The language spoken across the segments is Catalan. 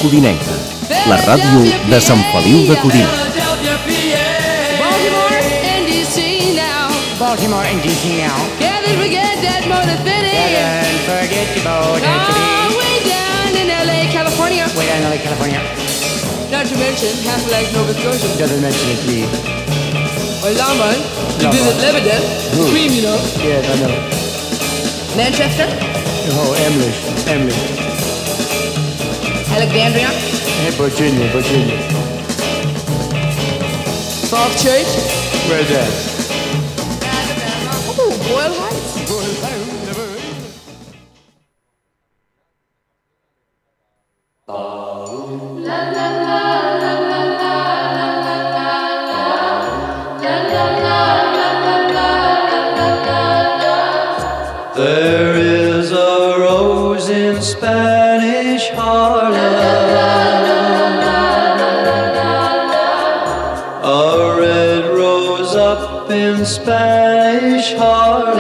Codinenca, la ràdio de Sant Feliu de Codines. Baltimore and DC now. Can't forget that motor city. Can't forget your motor city. Way down in LA, California. Way down in LA, California. Not to mention half like Nova Scotia. Doesn't mention it, please. Or Longmont. You visit Lebanon. Queen, you know. Yes, I know. Manchester. Oh, Emily. Alexandria. Hey, Virginia. Falls Church. Where's that? Ooh, Boyle Heights. There is a rose in Spanish Harlem, a red rose up in Spanish Harlem.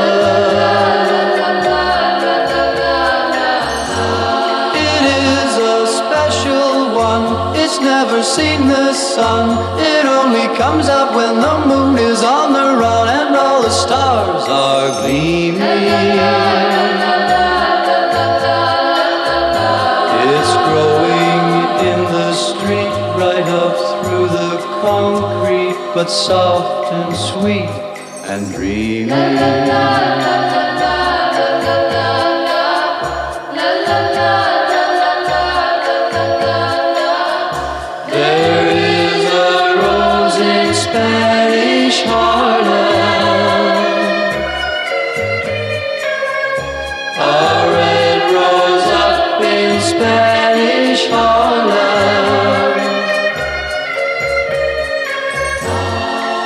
It is a special one, it's never seen the sun. It only comes out when the moon is on the run and all the stars are gleaming. It's growing in the street right up through the concrete, but soft and sweet and dreamy. There is a rose in Spanish Harlem, a red rose up in Spanish Harlem,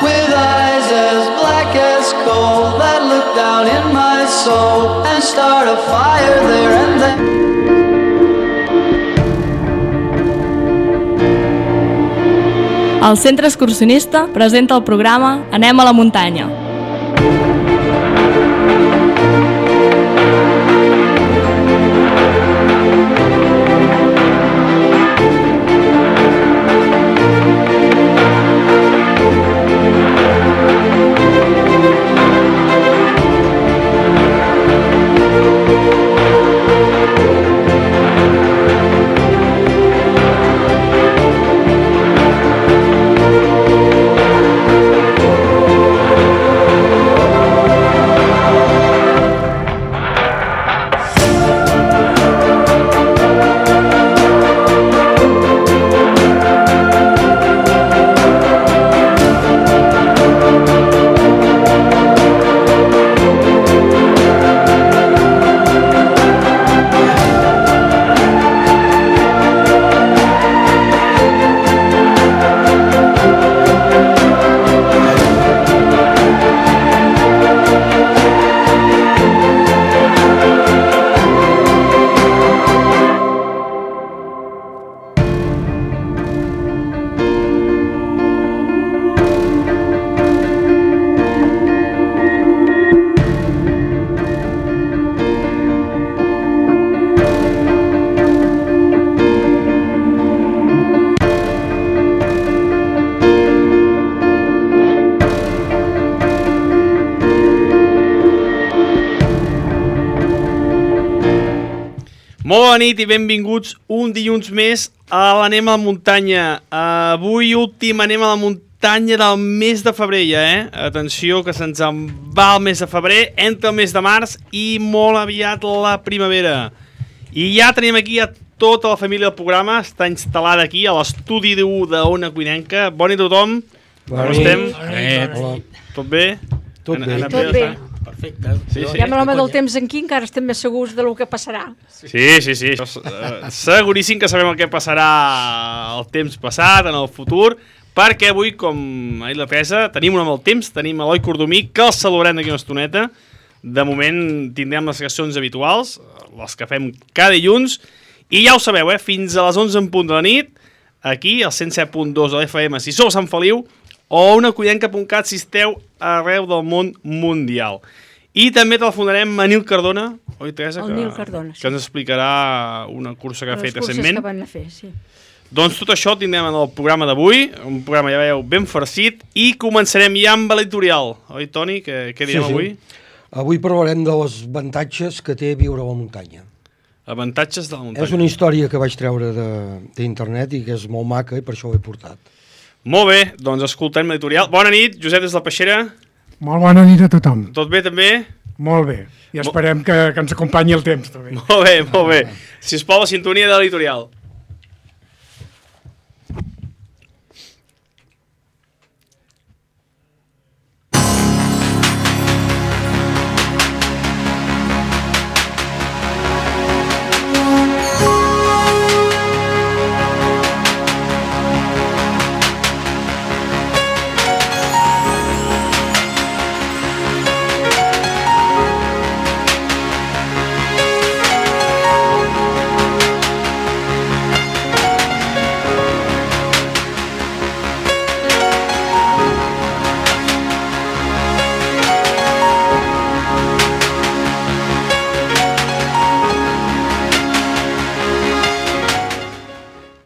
with eyes as black as coal that look down in my soul and start a fire there and then. El Centre Excursionista presenta el programa Anem a la muntanya. Molt bona nit i benvinguts un dilluns més a l'Anem a la muntanya. Avui últim Anem a la muntanya del mes de febrer ja, Atenció que se'ns en va el mes de febrer, entra el mes de març i molt aviat la primavera. I ja tenim aquí a tota la família del programa, està instal·lada aquí a l'estudi d'Ona Codinenca. Bona nit a tothom. Com estem? Hola. Tot bé? Tot bé. Tot bé. Perfecte. Sí. Ja amb l'home del temps aquí encara estem més segurs de lo que passarà. Sí. Seguríssim que sabem el que passarà el temps passat, en el futur, perquè avui, com ha dit la Teresa, tenim un amb el temps, tenim Eloi Cordomí, que el saludarem d'aquí una estoneta. De moment tindrem les seccions habituals, les que fem cada dilluns, i ja ho sabeu, fins a les 11 en punt de la nit, aquí, al 107.2 de l'FM, si sou a Sant Feliu, o onacodinenca.cat si esteu arreu del món mundial. I també telefonarem a Nil Cardona, oi, Teresa? El Nil Cardona, sí. Que ens explicarà una cursa que ha fet recentment. Les curses que van a fer, sí. Doncs tot això tindrem en el programa d'avui, un programa, ja veieu, ben farcit, i començarem ja amb l'editorial. Oi, Toni? Què direm avui? Avui parlarem de els avantatges que té viure a la muntanya. Avantatges de la muntanya. És una història que vaig treure d'internet i que és molt maca i per això ho he portat. Molt bé, doncs escoltem l'editorial. Bona nit, Josep des de la Peixera. Molt bona nit a tothom. Tot bé també? Molt bé. I esperem que ens acompanyi el temps també. Molt bé, molt bé. Sisplau, la sintonia de l'editorial.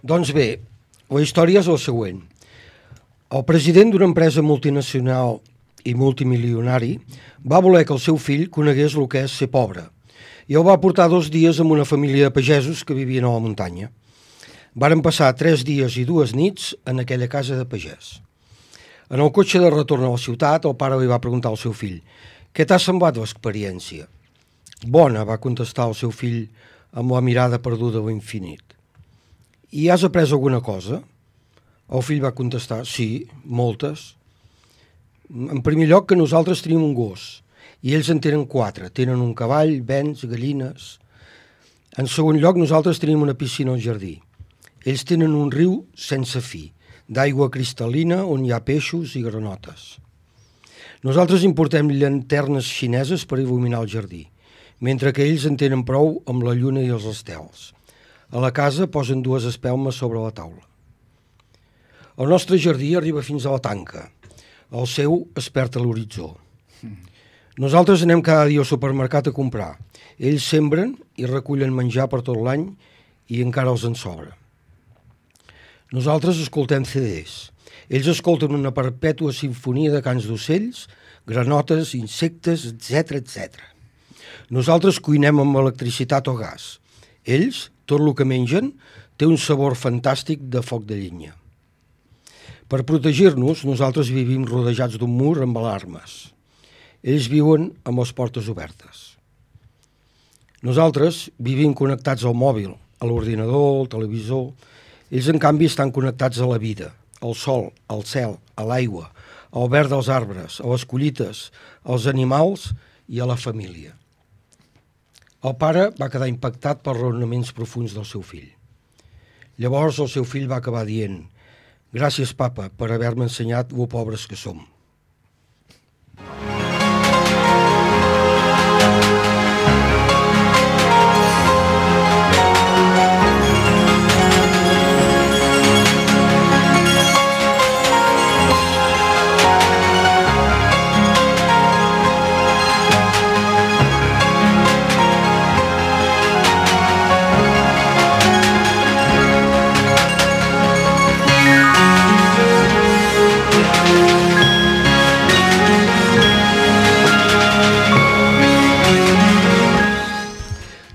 Doncs bé, la història és la següent. El president d'una empresa multinacional i multimilionari va voler que el seu fill conegués el que és ser pobre i el va portar 2 dies amb una família de pagesos que vivien a la muntanya. Varen passar 3 dies i 2 nits en aquella casa de pagès. En el cotxe de retorn a la ciutat, el pare li va preguntar al seu fill: «Què t'ha semblat l'experiència?» «Bona», va contestar el seu fill amb la mirada perduda a l'infinit. «I has après alguna cosa?» El fill va contestar: «Sí, moltes. En primer lloc, que nosaltres tenim un gos, i ells en tenen 4. Tenen un cavall, bens, gallines. En segon lloc, nosaltres tenim una piscina al jardí. Ells tenen un riu sense fi, d'aigua cristal·lina on hi ha peixos i granotes. Nosaltres importem llanternes xineses per il·luminar el jardí, mentre que ells en tenen prou amb la lluna i els estels. A la casa posen 2 espelmes sobre la taula. El nostre jardí arriba fins a la tanca. El seu es perd a l'horitzó. Nosaltres anem cada dia al supermercat a comprar. Ells sembren i recullen menjar per tot l'any i encara els en sobra. Nosaltres escoltem CDs. Ells escolten una perpètua simfonia de cants d'ocells, granotes, insectes, etc. Nosaltres cuinem amb electricitat o gas. Ells, tot el que mengen, té un sabor fantàstic de foc de llenya. Per protegir-nos, nosaltres vivim rodejats d'un mur amb alarmes. Ells viuen amb les portes obertes. Nosaltres vivim connectats al mòbil, a l'ordinador, al televisor. Ells, en canvi, estan connectats a la vida, al sol, al cel, a l'aigua, al verd dels arbres, a les collites, als animals i a la família. El pare va quedar impactat pels raonaments profuns del seu fill. Llavors el seu fill va acabar dient: «Gràcies, papa, per haver-me ensenyat lo pobres que som».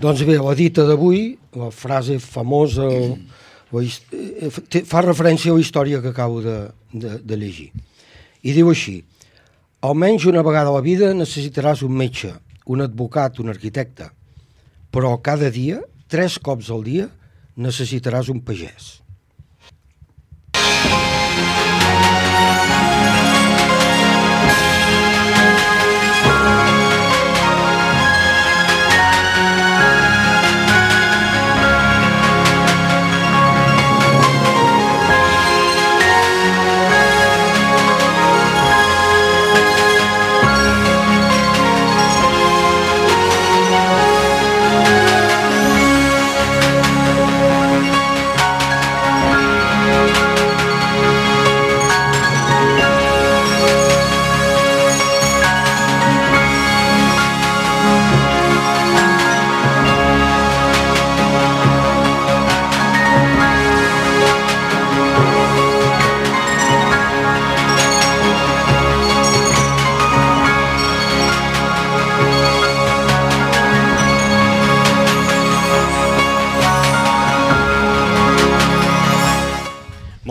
Doncs bé, la dita d'avui, la frase famosa, fa referència a la història que acabo de llegir. I diu així: almenys una vegada a la vida necessitaràs un metge, un advocat, un arquitecte, però cada dia, 3 cops al dia, necessitaràs un pagès.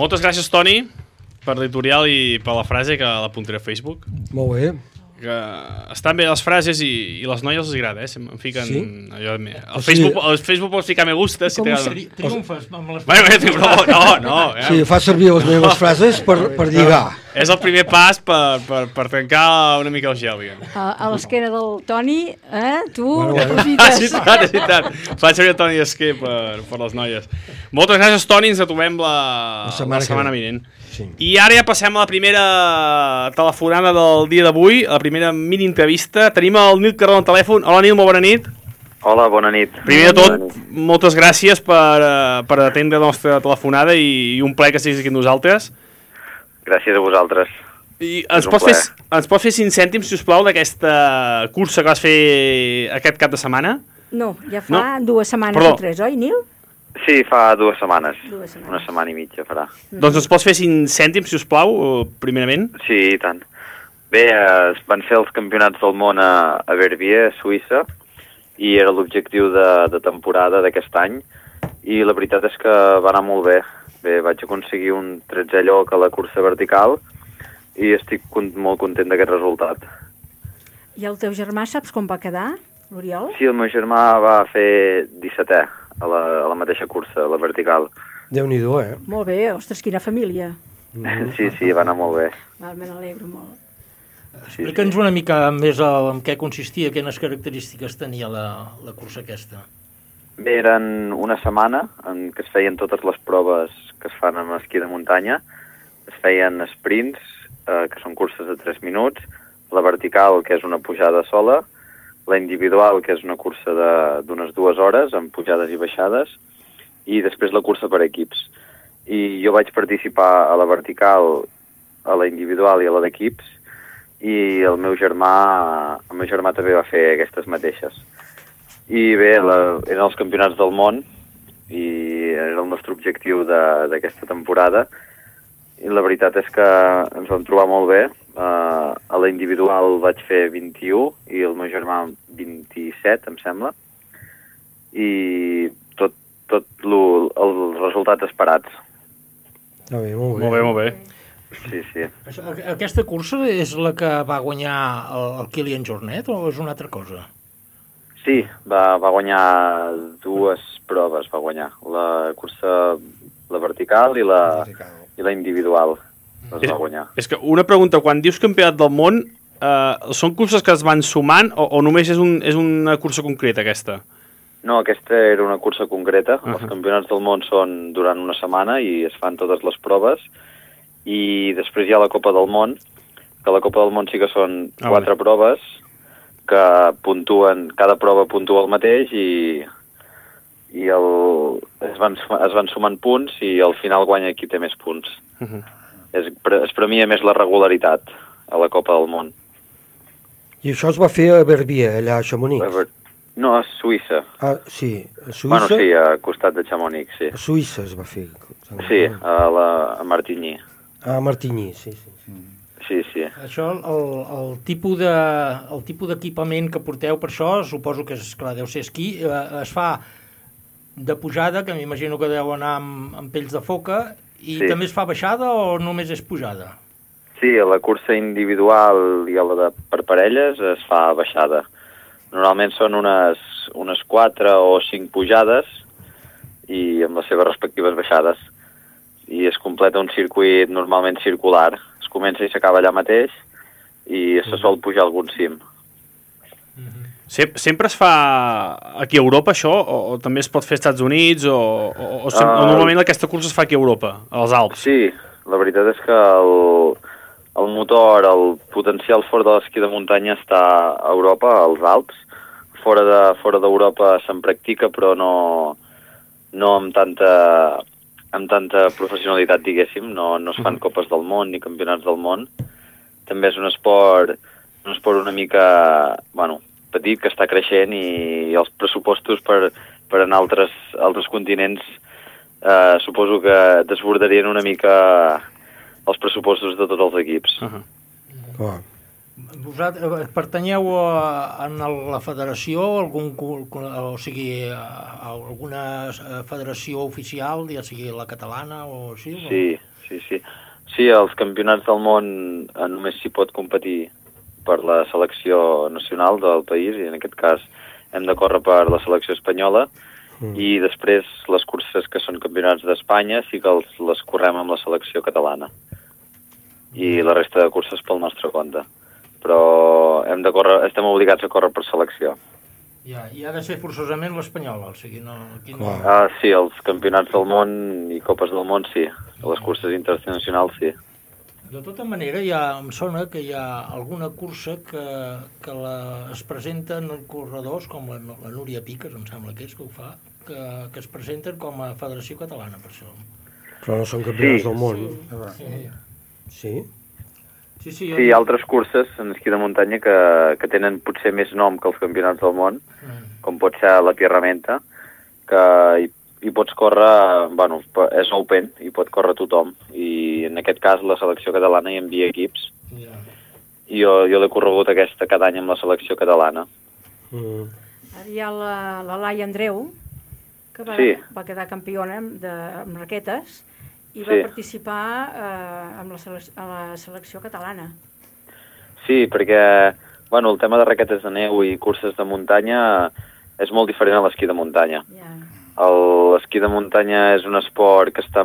Moltes gràcies, Toni, per l'editorial i per la frase, que l'apuntaré a Facebook. Molt bé. Que estan bé les frases i les noies els agrada, em fiquen allò de... Al Facebook pots ficar me gusta si t'agrada. Triomfes amb les... No. Sí, fa servir les meves frases per lligar. És el primer pas per trencar una mica el gel, diguem. A l'esquena del Toni, tu És veritat. Fa servir el Toni Esquer per les noies. Moltes gràcies, Toni, ens trobem la setmana vinent. Sí. I ara ja passem a la primera telefonada del dia d'avui, a la primera mini-entrevista. Tenim el Nil Carró al telèfon. Hola, Nil, molt bona nit. Hola, bona nit. Primer de tot, moltes gràcies per atendre la nostra telefonada i un plaer que estiguis aquí amb nosaltres. Gràcies a vosaltres. I ens pots fer 5 cèntims, si us plau, d'aquesta cursa que vas fer aquest cap de setmana? No, ja fa 2 setmanes o 3, oi, Nil? Sí, fa 2 setmanes. Una setmana i mitja farà. Doncs ens pots fer 5 cèntims, si us plau, primerament? Sí, i tant. Bé, van ser els campionats del món a Verbier, a Suïssa, i era l'objectiu de temporada d'aquest any, i la veritat és que va anar molt bé. Bé, vaig aconseguir un 13è lloc a la cursa vertical, i estic molt content d'aquest resultat. I el teu germà saps com va quedar, l'Oriol? Sí, el meu germà va fer 17è. A la mateixa cursa, a la vertical. Déu-n'hi-do, Molt bé, ostres, quina família. Sí, va anar molt bé. Me n'alegro molt. Explica'ns una mica més en què consistia, quines característiques tenia la cursa aquesta. Bé, eren una setmana en què es feien totes les proves que es fan en esquí de muntanya. Es feien sprints, que són curses de 3 minuts, la vertical, que és una pujada sola, la individual, que és una cursa d'unes 2 hores, amb pujades i baixades, i després la cursa per equips. I jo vaig participar a la vertical, a la individual i a la d'equips, i el meu germà també va fer aquestes mateixes. I bé, eren els campionats del món, i era el nostre objectiu d'aquesta temporada, i la veritat és que ens vam trobar molt bé. A la individual vaig fer 21 i el meu germà 27, em sembla, i tot els resultats esperats. Molt bé. Sí. Aquesta cursa és la que va guanyar el Kilian Jornet o és una altra cosa? Sí, va guanyar 2 proves, va guanyar. La cursa, la vertical i la individual. Va guanyar. És que una pregunta, quan dius campionat del món, són curses que es van sumant o només és una cursa concreta aquesta? No, aquesta era una cursa concreta. Els campionats del món són durant una setmana i es fan totes les proves, i després hi ha la Copa del Món, que la Copa del Món sí que són 4 proves que puntuen, cada prova puntua el mateix i es van sumant punts i al final guanya qui té més punts. Es premia més la regularitat a la Copa del Món. I això es va fer a Verbier, allà a Chamonix? No, a Suïssa. Ah, sí, a Suïssa? Bueno, sí, a costat de Chamonix, sí. A Suïssa es va fer? Sí, a Martigny. A Martigny, sí. Sí. Això, el tipus d'equipament que porteu per això, suposo que és, clar, deu ser esquí, es fa de pujada, que m'imagino que deu anar amb pells de foca, i també es fa baixada o només és pujada? Sí, a la cursa individual i a la per parelles es fa baixada. Normalment són unes 4 o 5 pujades i amb les seves respectives baixades. I es completa un circuit normalment circular. Es comença i s'acaba allà mateix i se sol pujar algun cim. Sempre es fa aquí a Europa, això? O també es pot fer als Estats Units? O normalment aquesta cursa es fa aquí a Europa, als Alps? Sí, la veritat és que el motor, el potencial fora de l'esquí de muntanya està a Europa, als Alps. Fora d'Europa se'n practica, però no amb tanta professionalitat, diguéssim. No es fan copes del món ni campionats del món. També és un esport una mica, petit, que està creixent, i els pressupostos per anar a altres continents suposo que desbordarien una mica els pressupostos de tots els equips. Vosaltres pertanyeu a la federació, alguna federació oficial, ja sigui la catalana o així? Sí, Sí, els campionats del món només s'hi pot competir per la selecció nacional del país, i en aquest cas hem de córrer per la selecció espanyola, i després les curses que són campionats d'Espanya sí que les correm amb la selecció catalana. I la resta de curses pel nostre compte. Però estem obligats a córrer per selecció. I ha de ser forçosament l'espanyola, o sigui, no... Sí, els campionats del món i copes del món sí, les curses internacionals sí. De tota manera, em sona que hi ha alguna cursa que es presenten corredors, com la Núria Piques, em sembla que és que ho fa, que es presenten com a Federació Catalana, per això. Però no són campionats del món. Sí? Sí, hi ha altres curses en esquí de muntanya que tenen potser més nom que els campionats del món, com pot ser la Pierramenta, que hi pots córrer, és open, hi pot córrer tothom, i en aquest cas la selecció catalana hi envia equips, i jo l'he corregut aquesta cada any amb la selecció catalana. Ara hi ha la Laia Andreu, que va quedar campiona amb raquetes, i va participar a la selecció catalana. Sí, perquè el tema de raquetes de neu i curses de muntanya és molt diferent a l'esquí de muntanya. L'esquí de muntanya és un esport que està,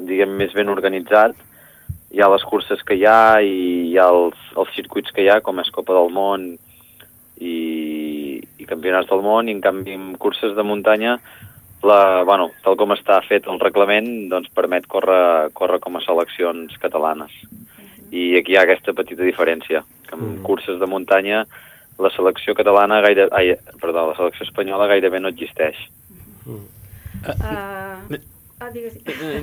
diguem, més ben organitzat. Hi ha les curses que hi ha i hi ha els circuits que hi ha, com és Copa del Món i Campionats del Món, i en canvi en curses de muntanya tal com està fet el reglament, doncs permet córrer com a seleccions catalanes. I aquí hi ha aquesta petita diferència, que en curses de muntanya la selecció espanyola gairebé no existeix.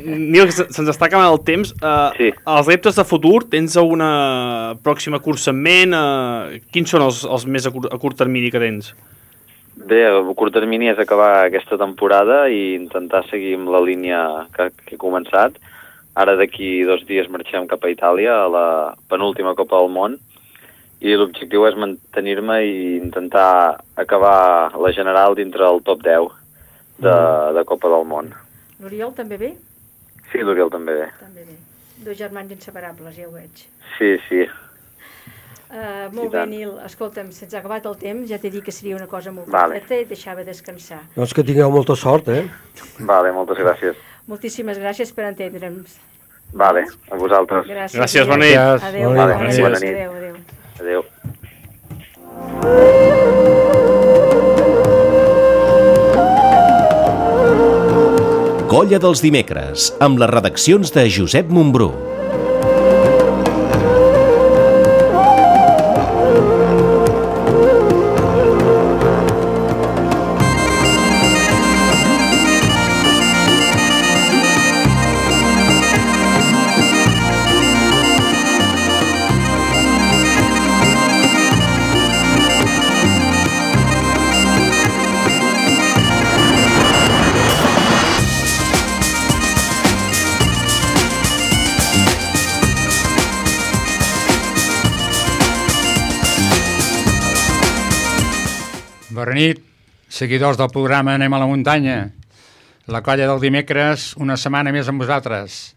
Nil, se'ns està acabant el temps. Els reptes de futur, tens alguna pròxima cursa en ment? Quins són els més a curt termini que tens? Bé, a curt termini és acabar aquesta temporada i intentar seguir amb la línia que he començat. Ara d'aquí 2 dies marxem cap a Itàlia, a la penúltima Copa del Món, i l'objectiu és mantenir-me i intentar acabar la general dintre el top 10 de Copa del Món. L'Oriol també ve? Sí, l'Oriol també ve. També ve. 2 germans inseparables, ja ho veig. Sí. Molt bé, Nil. Escolta'm, se'ns ha acabat el temps, ja t'he dit que seria una cosa molt concreta i et deixava descansar. Doncs que tingueu molta sort, Vale, moltes gràcies. Moltíssimes gràcies per entendre'ns. Vale, a vosaltres. Gràcies, bona nit. Adéu. Bona nit. Adéu. Colla dels dimecres, amb les redaccions de Josep Montbrú. Bona nit, seguidors del programa Anem a la muntanya. La colla del dimecres, una setmana més amb vosaltres.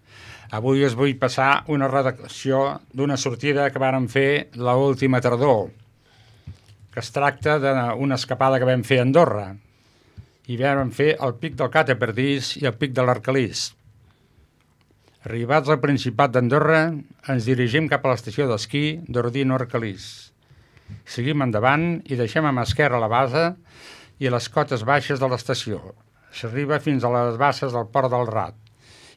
Avui us vull passar una redacció d'una sortida que vàrem fer l'última tardor, que es tracta d'una escapada que vam fer a Andorra. I vam fer el pic del Cataperdís i el pic de l'Arcalís. Arribats al Principat d'Andorra, ens dirigim cap a l'estació d'esquí d'Ordino-Arcalís. Seguim endavant i deixem a mà esquerra la base i les cotes baixes de l'estació. S'arriba fins a les basses del Port del Rat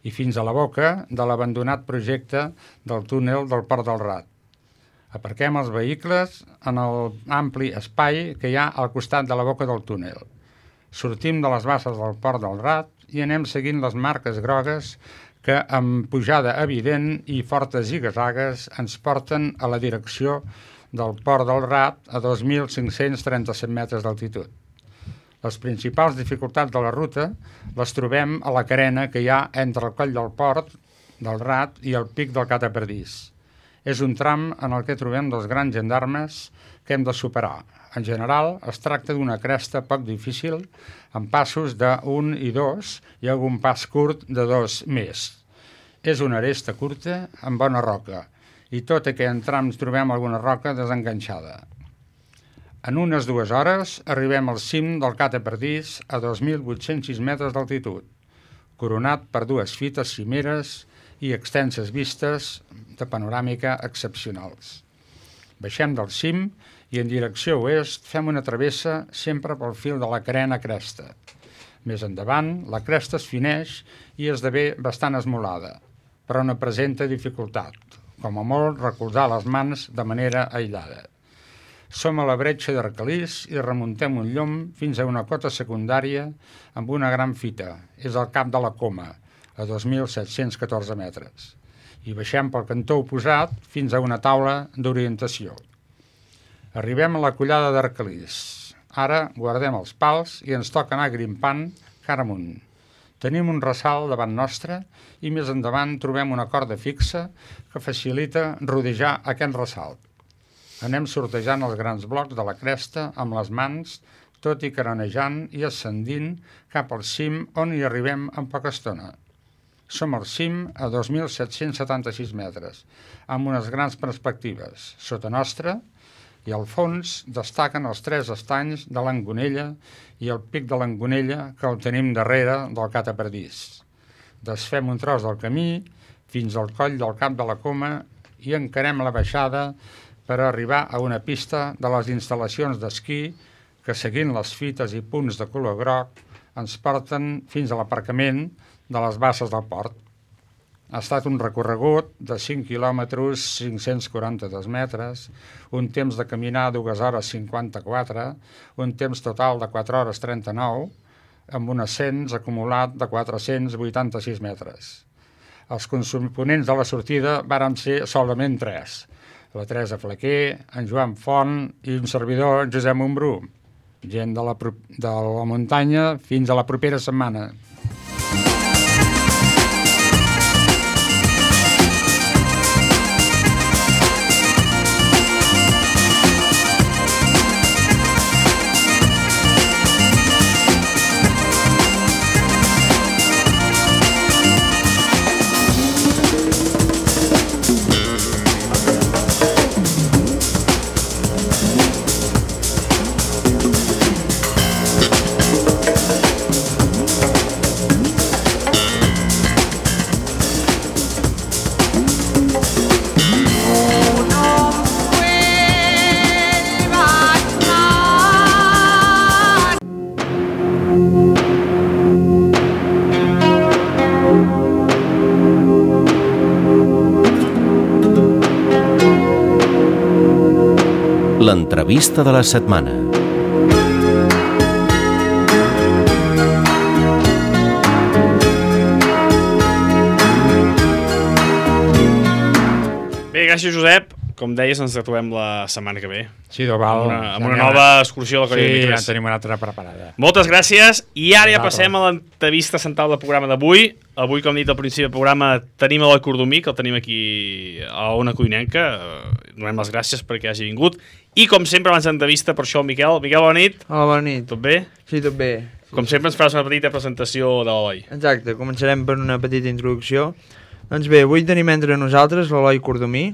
i fins a la boca de l'abandonat projecte del túnel del Port del Rat. Aparquem els vehicles en l'ampli espai que hi ha al costat de la boca del túnel. Sortim de les basses del Port del Rat i anem seguint les marques grogues que, amb pujada evident i fortes zigazagues, ens porten a la direcció del Port del Rat a 2.537 metres d'altitud. Les principals dificultats de la ruta les trobem a la carena que hi ha entre el coll del Port del Rat i el pic del Cataperdís. És un tram en el que trobem dos grans gendarmes que hem de superar. En general, es tracta d'una cresta poc difícil, amb passos de 1 i 2 i algun pas curt de 2 més. És una aresta curta amb bona roca i tot i que en trams trobem alguna roca desenganxada. En unes 2 hores arribem al cim del Cate Pardís a 2.806 metres d'altitud, coronat per 2 fites cimeres i extenses vistes de panoràmica excepcionals. Baixem del cim i en direcció oest fem una travessa sempre pel fil de la carena cresta. Més endavant, la cresta es fineix i esdevé bastant esmolada, però no presenta dificultat, com a molt recolzar les mans de manera aïllada. Som a la bretxa d'Arcalís i remuntem un llom fins a una cota secundària amb una gran fita. És el Cap de la Coma, a 2.714 metres. I baixem pel cantó oposat fins a una taula d'orientació. Arribem a la collada d'Arcalís. Ara guardem els pals i ens toca anar grimpant cara amunt. Tenim un ressalt davant nostre i més endavant trobem una corda fixa que facilita rodejar aquest ressalt. Anem sortejant els grans blocs de la cresta amb les mans, tot i carenejant i ascendint cap al cim on hi arribem en poca estona. Som al cim a 2.776 metres, amb unes grans perspectives. Sota nostra i al fons destaquen els 3 estanys de l'Angonella i el pic de l'Angonella que el tenim darrere del Cate Pardís. Desfem un tros del camí fins al coll del Cap de la Coma i encarem la baixada per arribar a una pista de les instal·lacions d'esquí que, seguint les fites i punts de color groc, ens porten fins a l'aparcament de les basses del port. Ha estat un recorregut de 5 quilòmetres, 542 metres, un temps de caminar 2 hores 54, un temps total de 4 hores 39, amb un ascens acumulat de 486 metres. Els components de la sortida varen ser solament 3. La Teresa Flaquer, en Joan Font i un servidor, Josep Montbrú. Gent de la muntanya fins a la propera setmana. L'entrevista de la setmana. Bé, gràcies, Josep. Com deies, ens trobem la setmana que ve. Sí, val. Amb una nova excursió a la Colla de Dimecres. Sí, ja tenim una altra preparada. Moltes gràcies. I ara ja passem a l'entrevista central del programa d'avui. Avui, com he dit al principi del programa, tenim l'Eloi Cordomí, que el tenim aquí a Ona Codinenca. Donem les gràcies perquè hagi vingut. I, com sempre, abans d'entrevista, per això el Miquel. Miquel, bona nit. Hola, bona nit. Tot bé? Sí, tot bé. Com sempre, ens faràs una petita presentació de l'Eloi. Exacte, començarem per una petita introducció. Doncs bé, avui tenim entre nosaltres l'Eloi Cordomí.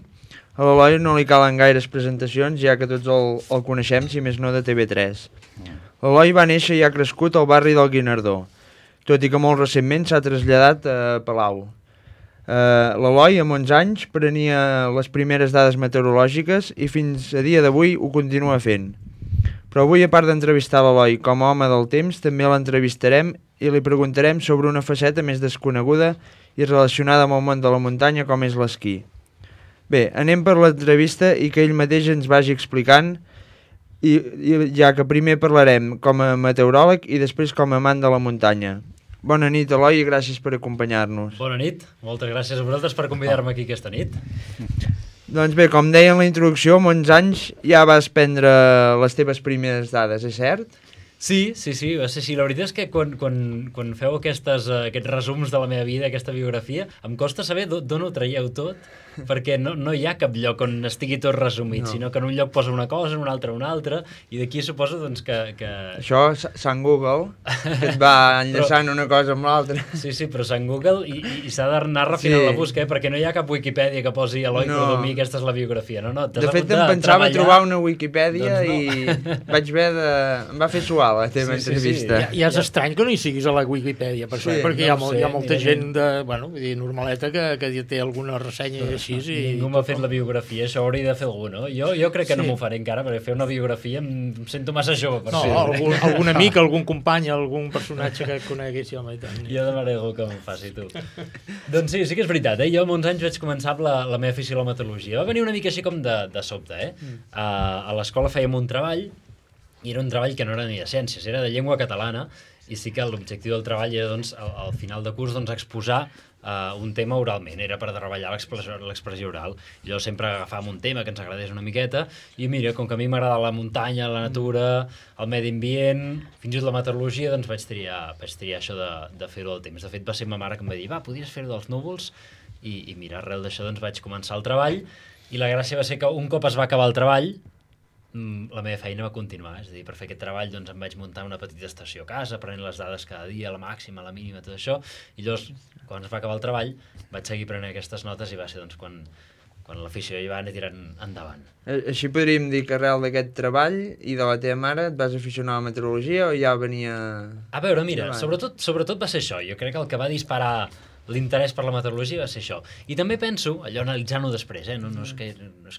A l'Eloi no li calen gaires presentacions, ja que tots el coneixem, si més no de TV3. L'Eloi va néixer i ha crescut al barri del Guinardó, tot i que molt recentment s'ha traslladat a Palau. L'Eloi, amb 11 anys, prenia les primeres dades meteorològiques i fins a dia d'avui ho continua fent. Però avui, a part d'entrevistar l'Eloi com a home del temps, també l'entrevistarem i li preguntarem sobre una faceta més desconeguda i relacionada amb el món de la muntanya, com és l'esquí. Bé, anem per l'entrevista i que ell mateix ens vagi explicant, ja que primer parlarem com a meteoròleg i després com a amant de la muntanya. Bona nit, Eloi, i gràcies per acompanyar-nos. Bona nit, moltes gràcies a vosaltres per convidar-me aquí aquesta nit. Doncs bé, com deia en la introducció, amb 11 anys ja vas prendre les teves primeres dades, és cert? Sí, va ser així. La veritat és que quan feu aquests resums de la meva vida, aquesta biografia, em costa saber d'on ho traieu tot, perquè no hi ha cap lloc on estigui tot resumit, sinó que en un lloc posa una cosa, en un altre, i d'aquí suposo doncs, que... Això, Sant Google, que et va enllaçant una cosa amb l'altra. Sí, però Sant Google, i s'ha d'anar refinant la busca, perquè no hi ha cap Wikipedia que posi Eloi Cordomí, aquesta és la biografia. No, de fet, em pensava trobar una Wikipedia i vaig haver de... Em va fer suar la teva entrevista. Ja és estrany que no hi siguis a la Wikipedia, per això, perquè hi ha molta gent normaleta que té alguna ressenya així. Ningú m'ha fet la biografia, això hauria de fer algú, no? Jo crec que no m'ho faré encara, perquè fer una biografia em sento massa jove per fer. Algun amic, algun company, algun personatge que coneguis, home, i tant. Jo demanaré algú que m'ho faci, tu. Doncs sí que és veritat, jo amb 11 anys vaig començar amb la meva afició a la meteorologia. Va venir una mica així com de sobte, A l'escola fèiem un treball, i era un treball que no era ni de ciències, era de llengua catalana, i sí que l'objectiu del treball era, doncs, al final de curs, doncs, exposar un tema oralment, era per treballar l'expressió oral. I llavors sempre agafàvem un tema que ens agradés una miqueta, i mira, com que a mi m'agrada la muntanya, la natura, el medi ambient, fins i tot la meteorologia, doncs vaig triar això de fer-ho al temps. De fet, va ser ma mare que em va dir, podries fer-ho dels núvols? I mira, arrel d'això doncs vaig començar el treball, i la gràcia va ser que un cop es va acabar el treball, la meva feina va continuar, és a dir, per fer aquest treball doncs em vaig muntar una petita estació a casa, prenent les dades cada dia, la màxima, la mínima, tot això, i llavors, quan es va acabar el treball, vaig seguir prenent aquestes notes i va ser doncs quan l'afició hi va anar tirant endavant. Així podríem dir que arrel d'aquest treball i de la teva mare et vas aficionar a la meteorologia o ja venia... A veure, mira, sobretot va ser això, jo crec que el que va disparar l'interès per la meteorologia va ser això. I també penso, allò analitzant-ho després, no és que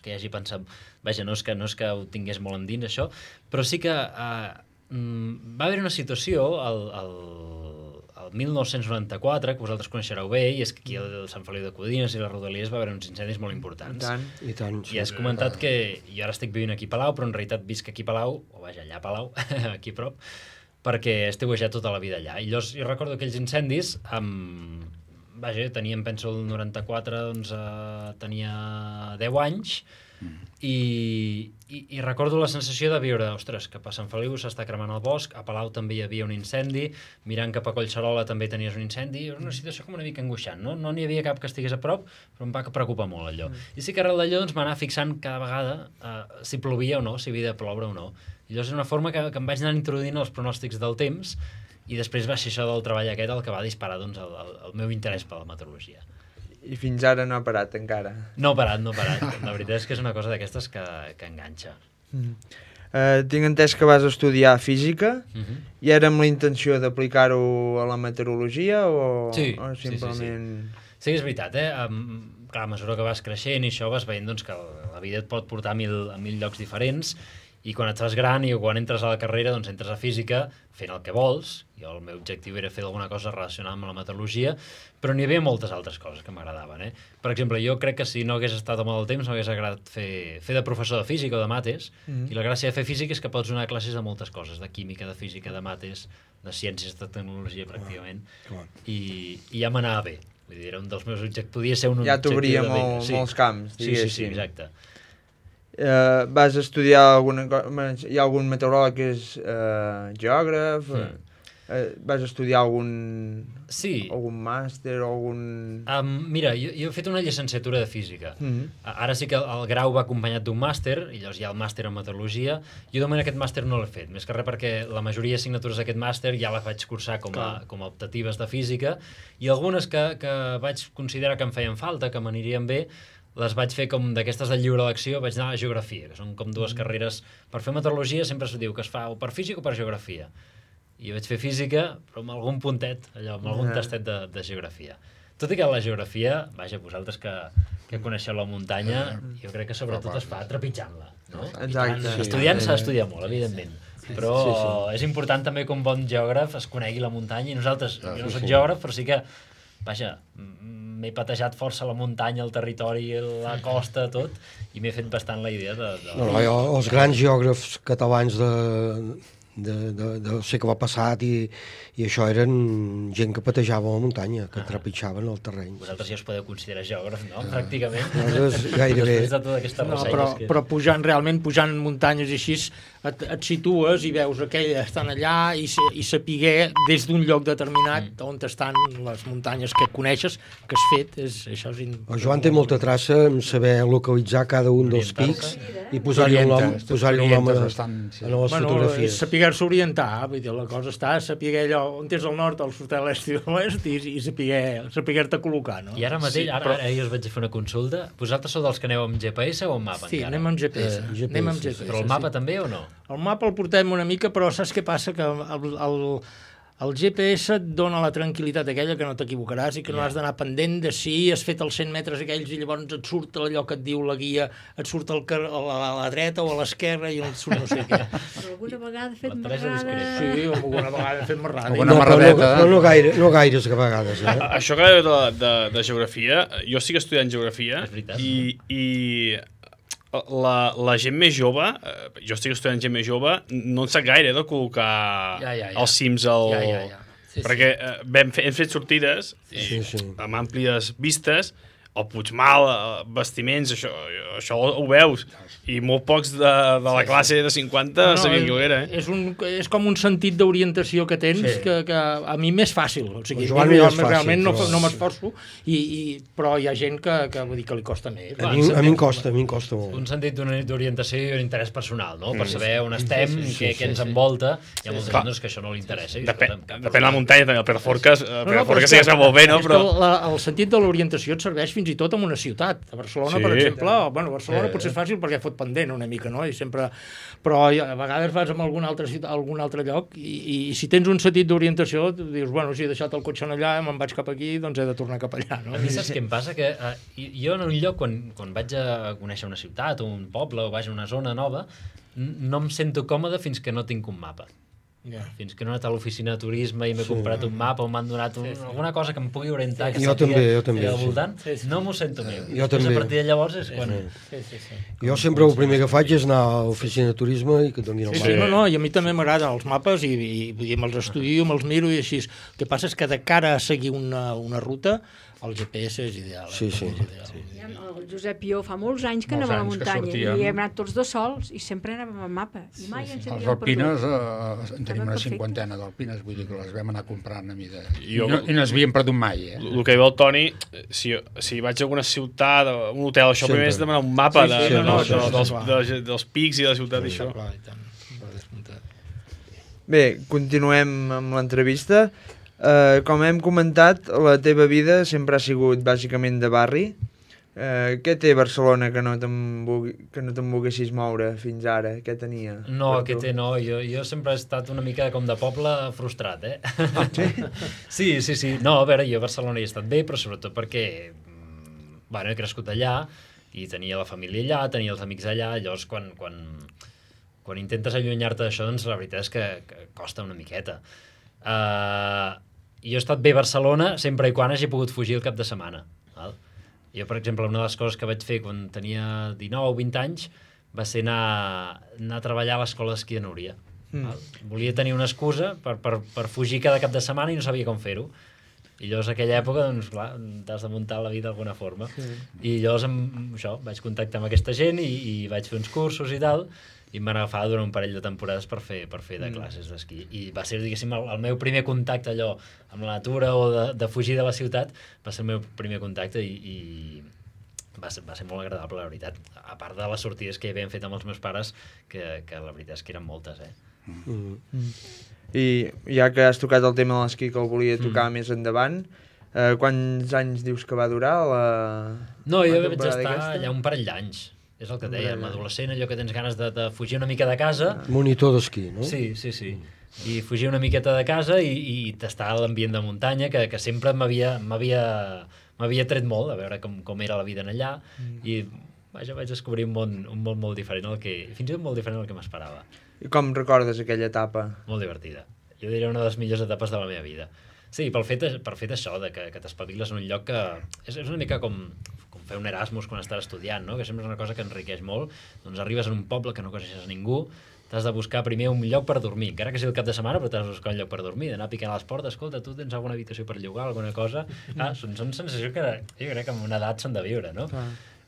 hi hagi pensat... Vaja, no és que ho tingués molt endins, això, però sí que va haver una situació el 1994, que vosaltres coneixereu bé, i és que aquí al Sant Feliu de Codines i les Rodalies va haver uns incendis molt importants. I tant. I has comentat que jo ara estic vivint aquí a Palau, però en realitat visc aquí a Palau, o vaja, allà a Palau, aquí a prop, perquè he estiuejat tota la vida allà. I llavors jo recordo aquells incendis vaja, teníem, penso, el 94, doncs tenia 10 anys, i recordo la sensació de viure, ostres, que a Sant Feliu s'està cremant el bosc, a Palau també hi havia un incendi, mirant cap a Collserola també tenies un incendi, era una situació com una mica angoixant, no n'hi havia cap que estigués a prop, però em va preocupar molt allò. I sí que arrel d'allò doncs, m'anava fixant cada vegada si plovia o no, si havia de ploure o no. I llavors és una forma que em vaig anar introduint els pronòstics del temps, i després va ser això del treball aquest el que va disparar doncs, el meu interès per la meteorologia. I fins ara no ha parat encara? No ha parat. La veritat és que és una cosa d'aquestes que enganxa. Tinc entès que vas estudiar física i era amb la intenció d'aplicar-ho a la meteorologia o simplement... Sí, és veritat, Clar, a mesura que vas creixent i això vas veient doncs, que la vida et pot portar a mil llocs diferents, i quan et fas gran i quan entres a la carrera, doncs entres a física fent el que vols. Jo el meu objectiu era fer alguna cosa relacionada amb la meteorologia, però n'hi havia moltes altres coses que m'agradaven. Per exemple, jo crec que si no hagués estat home del temps m'hagués agradat fer de professor de física o de mates, i la gràcia de fer física és que pots donar classes de moltes coses, de química, de física, de mates, de ciències, de tecnologia pràcticament, i ja m'anava bé. Vull dir, era un dels meus objectius, podia ser un ja t'obria molts camps, diguéssim. Sí, exacte. Vas estudiar hi ha algun meteoròleg que és geògraf, vas estudiar algun màster o algun... Mira, jo he fet una llicenciatura de física. Ara sí que el grau va acompanyat d'un màster, i llavors hi ha el màster en meteorologia. Jo de moment aquest màster no l'he fet, més que res perquè la majoria d'assignatures d'aquest màster ja les vaig cursar com a optatives de física, i algunes que vaig considerar que em feien falta, que m'anirien bé, les vaig fer com d'aquestes de lliure elecció, vaig anar a geografia, que són com dues carreres. Per fer meteorologia sempre es diu que es fa o per física o per geografia. I vaig fer física, però amb algun puntet, amb algun tastet de geografia. Tot i que la geografia, vaja, vosaltres que coneixeu la muntanya, jo crec que sobretot es fa trepitjant-la, no? Exacte. Estudiant s'ha d'estudiar molt, evidentment. Però és important també que un bon geògraf es conegui la muntanya, i nosaltres, jo no soc geògraf, però sí que, vaja, m'he patejat força la muntanya, el territori, la costa, tot, i m'he fet bastant la idea de... Els grans geògrafs catalans del segle passat i això eren gent que patejava a la muntanya, que trepitjaven el terreny. Vosaltres ja us podeu considerar geògraf, no? Pràcticament. Nosaltres gairebé. Després de totes aquestes ressenyes. Però pujant muntanyes i així et situes i veus aquelles estan allà i sapiguer des d'un lloc determinat on estan les muntanyes que coneixes, que has fet, això és... El Joan té molta traça en saber localitzar cada un dels pics i posar-hi un nom a les fotografies. Saber-se orientar, vull dir, la cosa està a saber allò on és el nord, el sud, l'est i l'oest i saber-te col·locar, no? I ara mateix, ara jo us vaig a fer una consulta. Vosaltres sou dels que aneu amb GPS o amb mapa? Sí, encara? anem amb GPS. Però el mapa també o no? El mapa el portem una mica, però saps què passa? Que el GPS et dona la tranquil·litat aquella que no t'equivocaràs i que no has d'anar pendent de si has fet els 100 metres aquells i llavors et surt allò que et diu la guia, et surt a la dreta o a l'esquerra i no et surt no sé què. Però alguna vegada he fet marrada... Sí, alguna vegada he fet marrada. Alguna marradeta. No gaires vegades. Això que de geografia, jo estic estudiant geografia i la gent més jove, jo estic estudiant gent més jove, no en sap gaire de col·locar els cims perquè hem fet sortides amb àmplies vistes, el Puigmal, vestiments, això ho veus, i molt pocs de la classe de 50 sabien què era. És com un sentit d'orientació que tens que a mi m'és fàcil, o sigui, realment no m'esforço, però hi ha gent que vull dir que li costa més. A mi em costa molt. Un sentit d'orientació i un interès personal, no? Per saber on estem, què ens envolta, hi ha molta gent que això no li interessa. Depèn de la muntanya, també, el Pedraforques sí que es veu molt bé, no? El sentit de l'orientació et serveix fins i tot en una ciutat. A Barcelona, per exemple, Barcelona potser és fàcil perquè fot pendent una mica, no? Però a vegades vas a algun altre lloc i si tens un sentit d'orientació dius, bueno, si he deixat el cotxe allà, me'n vaig cap aquí, doncs he de tornar cap allà, no? A mi saps què em passa? Que jo en un lloc, quan vaig a conèixer una ciutat o un poble o vaig a una zona nova, no em sento còmode fins que no tinc un mapa. Fins que no he anat a l'oficina de turisme i m'he comprat un mapa o m'han donat alguna cosa que em pugui orientar jo també al voltant, no m'ho sento meu. Jo també. A partir de llavors és quan... Jo sempre el primer que faig és anar a l'oficina de turisme i que et donin el mapa. No, i a mi també m'agraden els mapes i me'ls estudio, me'ls miro i així. El que passa és que de cara a seguir una ruta el GPS és ideal. Sí. El Josep i jo fa molts anys que anava a la muntanya i hem anat tots dos sols i sempre anàvem amb mapa. I mai ens havíem perdut. Els alpines, tenim una 50 d'alpines, vull dir que les vam anar comprant a mida. I no es havien perdut mai. El que diu el Toni, si vaig a alguna ciutat, a un hotel, això primer és demanar un mapa dels pics i de la ciutat i això. Bé, continuem amb l'entrevista. Com hem comentat, la teva vida sempre ha sigut bàsicament de barri. Què té Barcelona que no te'n volguessis moure fins ara? Què tenia? No, què té no. Jo sempre he estat una mica com de poble frustrat, Sí? Sí. No, a veure, jo a Barcelona hi he estat bé, però sobretot perquè he crescut allà i tenia la família allà, tenia els amics allà, llavors quan intentes allunyar-te d'això, doncs la veritat és que costa una miqueta. Jo he estat bé a Barcelona sempre i quan hagi pogut fugir el cap de setmana. Jo, per exemple, una de les coses que vaig fer quan tenia 19 o 20 anys va ser anar a treballar a l'escola d'esquí de Núria. Volia tenir una excusa per fugir cada cap de setmana i no sabia com fer-ho. I llavors, en aquella època, doncs, clar, t'has de muntar la vida d'alguna forma. I llavors, vaig contactar amb aquesta gent i vaig fer uns cursos i tal, i em van agafar durant un parell de temporades per fer de classes d'esquí. I va ser, diguéssim, el meu primer contacte allò amb la natura o de fugir de la ciutat, va ser el meu primer contacte i va ser molt agradable, la veritat. A part de les sortides que hi havien fet amb els meus pares, que la veritat és que eren moltes, I ja que has tocat el tema de l'esquí que el volia tocar més endavant, quants anys dius que va durar No, jo vaig estar allà un parell d'anys. És el que dèiem, adolescent, allò que tens ganes de fugir una mica de casa. Monitor d'esquí, no? Sí. I fugir una miqueta de casa i tastar l'ambient de muntanya, que sempre m'havia tret molt, a veure com era la vida en allà, i vaig descobrir un món molt diferent, fins i tot molt diferent del que m'esperava. I com recordes aquella etapa? Molt divertida. Jo diria una de les millors etapes de la meva vida. Sí, per fet això, que t'espaviles en un lloc que és una mica com fer un Erasmus quan estàs estudiant, no? Que sempre és una cosa que enriqueix molt. Doncs arribes en un poble que no coneixes a ningú, t'has de buscar primer un lloc per dormir, encara que sigui el cap de setmana, però t'has de buscar un lloc per dormir, d'anar picant a les portes, escolta, tu tens alguna habitació per llogar, alguna cosa... Són sensacions que jo crec que amb una edat s'han de viure, no?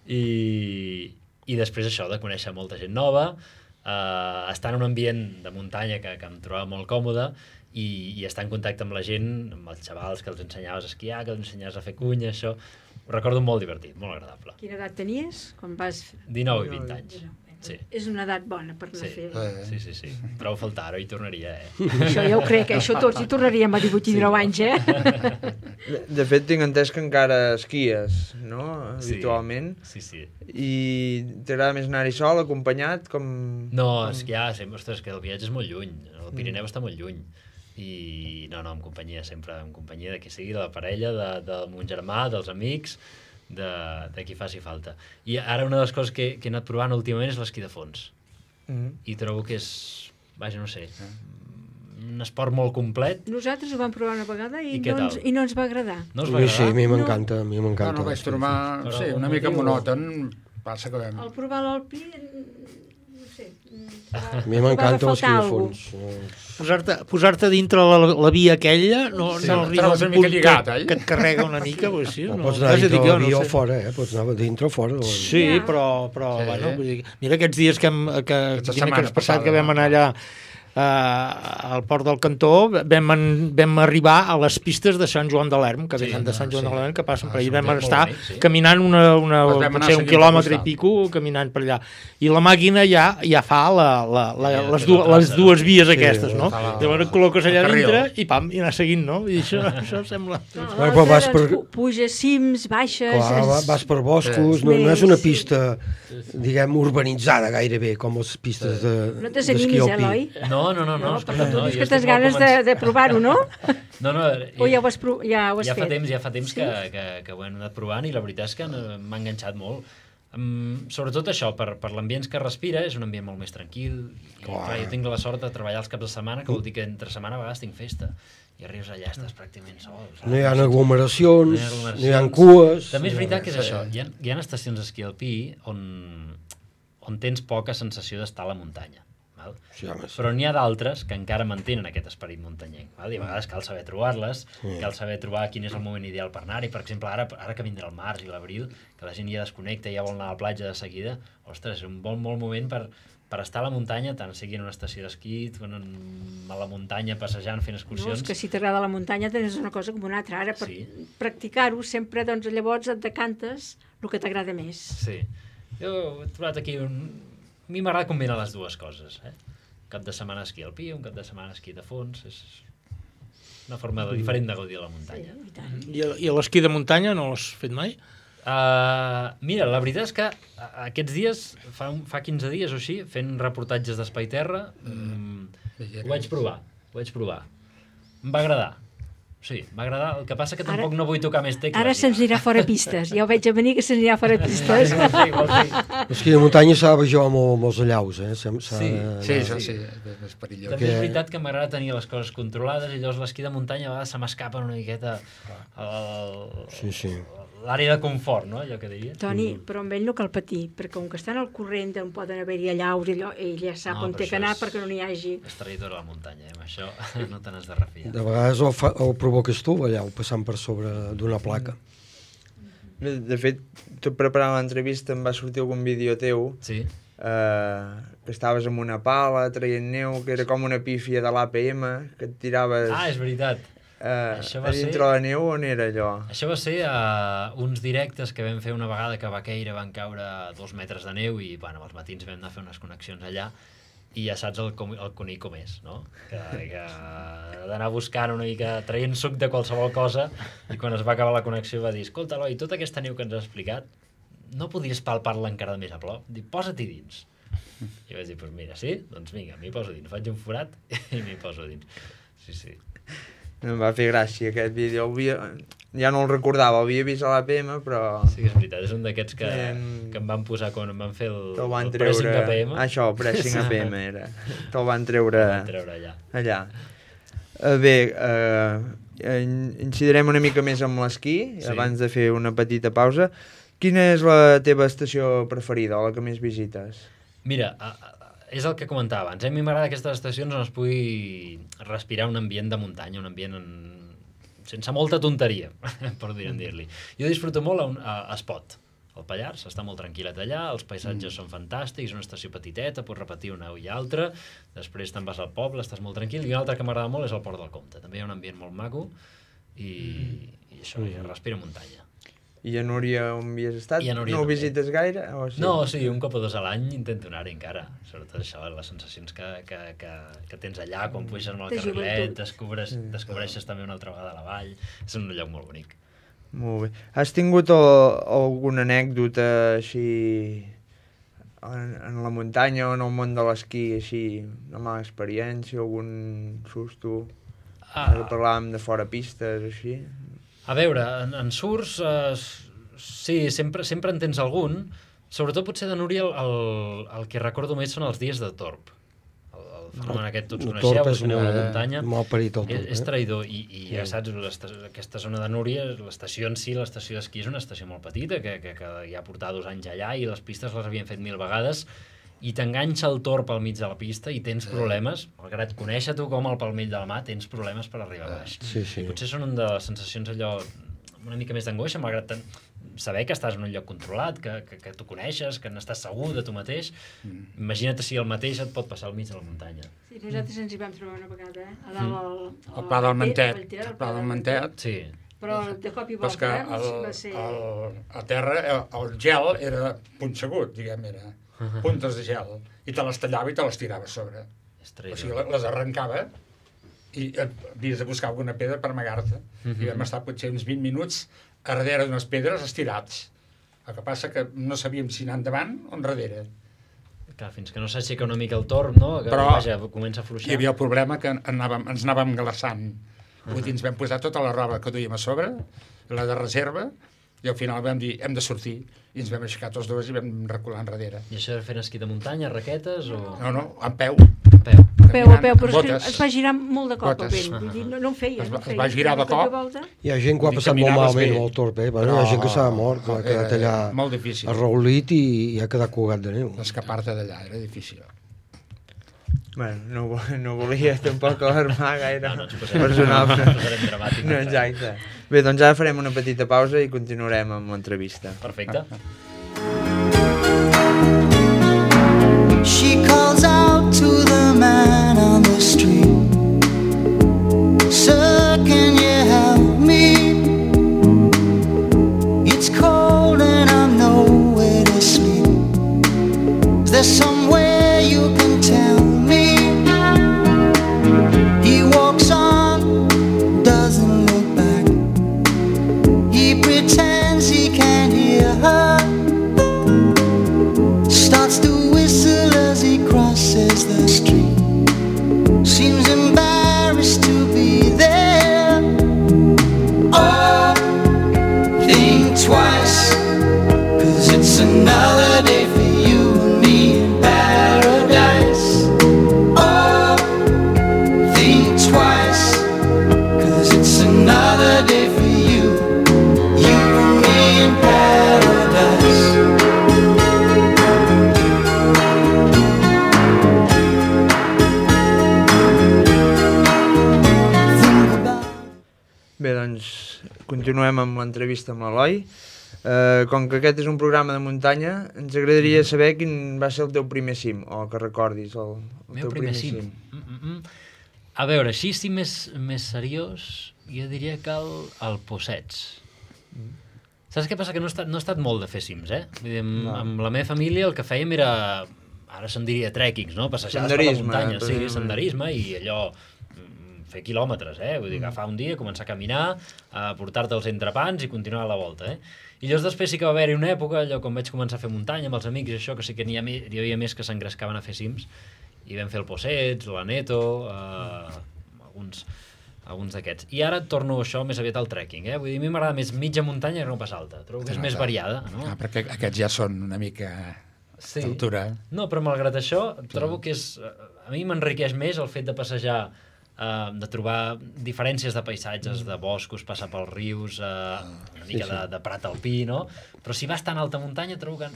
I després això, de conèixer molta gent nova, estar en un ambient de muntanya que em trobava molt còmode i estar en contacte amb la gent, amb els xavals que els ensenyaves a esquiar, que els ensenyaves a fer cunya, això... Ho recordo molt divertit, molt agradable. Quina edat tenies quan vas... 19 i 20 anys. Sí. És una edat bona per anar a fer. Sí. Trobo a faltar, ara hi tornaria, Això ja ho crec, això tots hi tornaríem a 18 i 19 anys, De fet, tinc entès que encara esquies, no? Habitualment. Sí. I t'agrada més anar-hi sol, acompanyat, com... No, esquiar, ostres, que el viatge és molt lluny, el Pirineu està molt lluny. I no, en companyia, sempre en companyia de qui sigui, de la parella, del mon germà, dels amics, de qui faci falta. I ara una de les coses que he anat provant últimament és l'esquí de fons. I trobo que és, vaja, no sé, un esport molt complet. Nosaltres ho vam provar una vegada i no ens va agradar. No us va agradar? Sí, a mi m'encanta. No vaig trobar, una mica monòton, passa que vam... Al provar l'Alpí, no sé... A mi m'encanta l'esquí de fons. Posar-te dintre la via aquella no arriba a un punt que et carrega una mica. Pots anar dintre la via o fora, pots anar dintre o fora. Sí, però bueno, mira aquests dies dimecres passat que vam anar allà al Port del Cantó, vam arribar a les pistes de Sant Joan de l'Erm, que venen de Sant Joan de l'Erm, que passen per allà. Vam estar caminant un quilòmetre i pico, caminant per allà. I la màquina ja fa les dues vies aquestes, no? Llavors et col·loques allà dintre i pam, i anar seguint, no? I això sembla... Puges cims, baixes... Clar, vas per boscos, no és una pista, diguem, urbanitzada gairebé, com les pistes No te s'animis, Eloi? No. Tu dius que tens ganes de provar-ho, no? No. O ja ho has fet? Ja fa temps que ho hem anat provant i la veritat és que m'ha enganxat molt. Sobretot això, per l'ambient que respira, és un ambient molt més tranquil. Clar, jo tinc la sort de treballar els caps de setmana, que vol dir que entre setmana a vegades tinc festa. I arribes allà, estàs pràcticament sol. No hi ha aglomeracions, no hi ha cues... També és veritat que és això. Hi ha estacions d'esquí alpí on tens poca sensació d'estar a la muntanya. Però n'hi ha d'altres que encara mantenen aquest esperit muntanyenc. I a vegades cal saber trobar-les, cal saber trobar quin és el moment ideal per anar-hi. Per exemple, ara que vindrà el març i l'abril, que la gent ja desconnecta i ja vol anar a la platja de seguida, ostres, és un bon moment per estar a la muntanya, tant sigui en una estació d'esquí, a la muntanya passejant, fent excursions... No, és que si t'agrada la muntanya tens una cosa com una altra. Ara, per practicar-ho, sempre, doncs, llavors et decantes el que t'agrada més. Sí. Jo he trobat aquí A mi m'agrada combinar les dues coses, cap de setmana esquí alpí, un cap de setmana esquí de fons, és una forma diferent de gaudir de la muntanya. I l'esquí de muntanya no l'has fet mai? Mira, la veritat és que aquests dies, fa 15 dies o així, fent reportatges d'Espai Terra, ho vaig provar. Em va agradar. Sí, m'agrada. El que passa que tampoc no vull tocar més tecles. Ara se'ns anirà fora pistes. Ja ho veig a venir que se'ns anirà fora pistes. L'esquí de muntanya s'ha de baixar amb els allaus, Sí, és perillós. També és veritat que m'agrada tenir les coses controlades i llavors l'esquí de muntanya a vegades se m'escapa una miqueta l'àrea de confort, no? Allò que diria. Toni, però amb ell no cal patir, perquè com que estan al corrent on poden haver-hi allaus, ell ja sap on té que anar perquè no n'hi hagi. És traïdor a la muntanya, amb això no te n'has de refiar. De vegades el provoques tu, allà, passant per sobre d'una placa. De fet, tot preparant l'entrevista em va sortir algun vídeo teu que estaves amb una pala traient neu, que era com una pífia de l'APM, que et tiraves... És veritat. A dintre la neu, on era allò? Això va ser uns directes que vam fer una vegada que a Baqueira van caure 2 metres de neu i als matins vam anar a fer unes connexions allà i ja saps el conill com és, no? Que d'anar buscant una mica, traient suc de qualsevol cosa i quan es va acabar la connexió va dir escolta, Eloi, tota aquesta neu que ens has explicat no podries palpar-la encara més a prop? Dic, posa-t'hi dins. I vaig dir, doncs mira, sí? Doncs vinga, m'hi poso dins. Faig un forat i m'hi poso dins. Sí. Em va fer gràcia aquest vídeo. Ja no el recordava, el havia vist a l'APM, però... Sí que és veritat, és un d'aquests que em van posar quan em van fer el pressing APM. Això, el pressing APM era. Te'l van treure allà. Bé, incidirem una mica més amb l'esquí, abans de fer una petita pausa. Quina és la teva estació preferida, o la que més visites? Mira, és el que comentava abans. A mi m'agrada aquestes estacions on es pugui respirar un ambient de muntanya, un ambient sense molta tonteria, per dir-li. Jo disfruto molt a Espot, al Pallars, està molt tranquil·let allà, els paisatges són fantàstics, una estació petiteta, pots repetir una i altra, després te'n vas al poble, estàs molt tranquil, i una altra que m'agrada molt és el Port del Comte. També hi ha un ambient molt maco i això, respira muntanya. I a Núria on havies estat? No ho visites gaire? No, sí, un cop o dos a l'any intento anar-hi encara. Sobretot això, les sensacions que tens allà, quan puixes amb el carrilet, descobreixes també una altra vegada la vall. És un lloc molt bonic. Molt bé. Has tingut alguna anècdota així en la muntanya o en el món de l'esquí, així, una mala experiència, algun susto? Ara parlàvem de fora pistes, així. A veure, en surts, sí, sempre en tens algun. Sobretot potser de Núria el que recordo més són els dies de Torb. El fenomen aquest tots coneixeu, que aneu a la muntanya. És traïdor i ja saps, aquesta zona de Núria, l'estació en si, l'estació d'esquí és una estació molt petita, que ja portava 2 anys allà i les pistes les havien fet 1000 vegades i t'enganxa el torb al mig de la pista i tens problemes, malgrat conèixer tu com el palmell de la mà, tens problemes per arribar a baix. Potser són una de les sensacions allò una mica més d'angoixa, malgrat saber que estàs en un lloc controlat, que tu coneixes, que n'estàs segur de tu mateix. Imagina't si el mateix et pot passar al mig de la muntanya. Sí, nosaltres ens hi vam trobar una vegada, a dalt al Pla del Mantet. El Pla del Mantet. Sí. Però de cop i volta, va ser... A terra el gel era punxegut, diguem, era puntes de gel, i te les tallava i te les tirava a sobre. O sigui, les arrencava i havies de buscar alguna pedra per amagar-te. I vam estar potser uns 20 minuts a darrere d'unes pedres estirats. El que passa que no sabíem si anar endavant o enrere. Clar, fins que no s'aixeca una mica el torb, no? Que vaja, comença a fluixar. Hi havia el problema que ens anàvem glaçant. Vull dir, ens vam posar tota la roba que duíem a sobre, la de reserva, i al final vam dir, hem de sortir. I ens vam aixecar tots dos i vam recular enrere. I això era fent esquí de muntanya, raquetes o...? No, amb peu. A peu, però es va girar molt de cop el vent. Vull dir, no en feia. Es va girar de cop. Hi ha gent que ho ha passat molt malament amb el torb, Hi ha gent que s'ha mort, que ha quedat allà arraulit i ha quedat colgat de neu. Escapar-te d'allà era difícil. Bueno, no volia tampoc alarmar gaire personal. No, exacte. Bé, doncs ara farem una petita pausa i continuarem amb l'entrevista. Perfecte. She calls out to the man on the street, "Sir, can you help me? It's cold and I'm nowhere to sleep. Is there somewhere you can tell me?" He walks on, doesn't look back. He pretends he can't hear her, starts to whistle as he crosses the street. Seems embarrassed to be there. Oh, think twice, 'cause it's another day for you and me in paradise. Oh, think twice, 'cause it's another day for you and me in paradise. Bé, doncs continuem amb l'entrevista amb l'Eloi. Com que aquest és un programa de muntanya, ens agradaria saber quin va ser el teu primer cim, o que recordis el teu primer cim. A veure, així sí més seriós, jo diria que el Possets. Saps què passa? Que no he estat molt de fer cims, Vull dir, amb la meva família el que fèiem era, ara se'n diria trekkings, no? Passejades per la muntanya, sí, senderisme i allò... fer quilòmetres, vull dir, agafar un dia, començar a caminar, a portar-te els entrepans i continuar la volta, I llavors després sí que va haver-hi una època, allò quan vaig començar a fer muntanya amb els amics i això, que sí que hi havia més que s'engrescaven a fer cims, i vam fer el Possets, l'Aneto, alguns d'aquests. I ara torno això més aviat al trekking, Vull dir, a mi m'agrada més mitja muntanya que no pas alta, trobo que és més variada, no? Perquè aquests ja són una mica d'altura. No, però malgrat això, trobo que a mi m'enriqueix més el fet de passejar de trobar diferències de paisatges, de boscos, passar pels rius, una mica de prat alpí, no? Però si vas tan a alta muntanya trobo que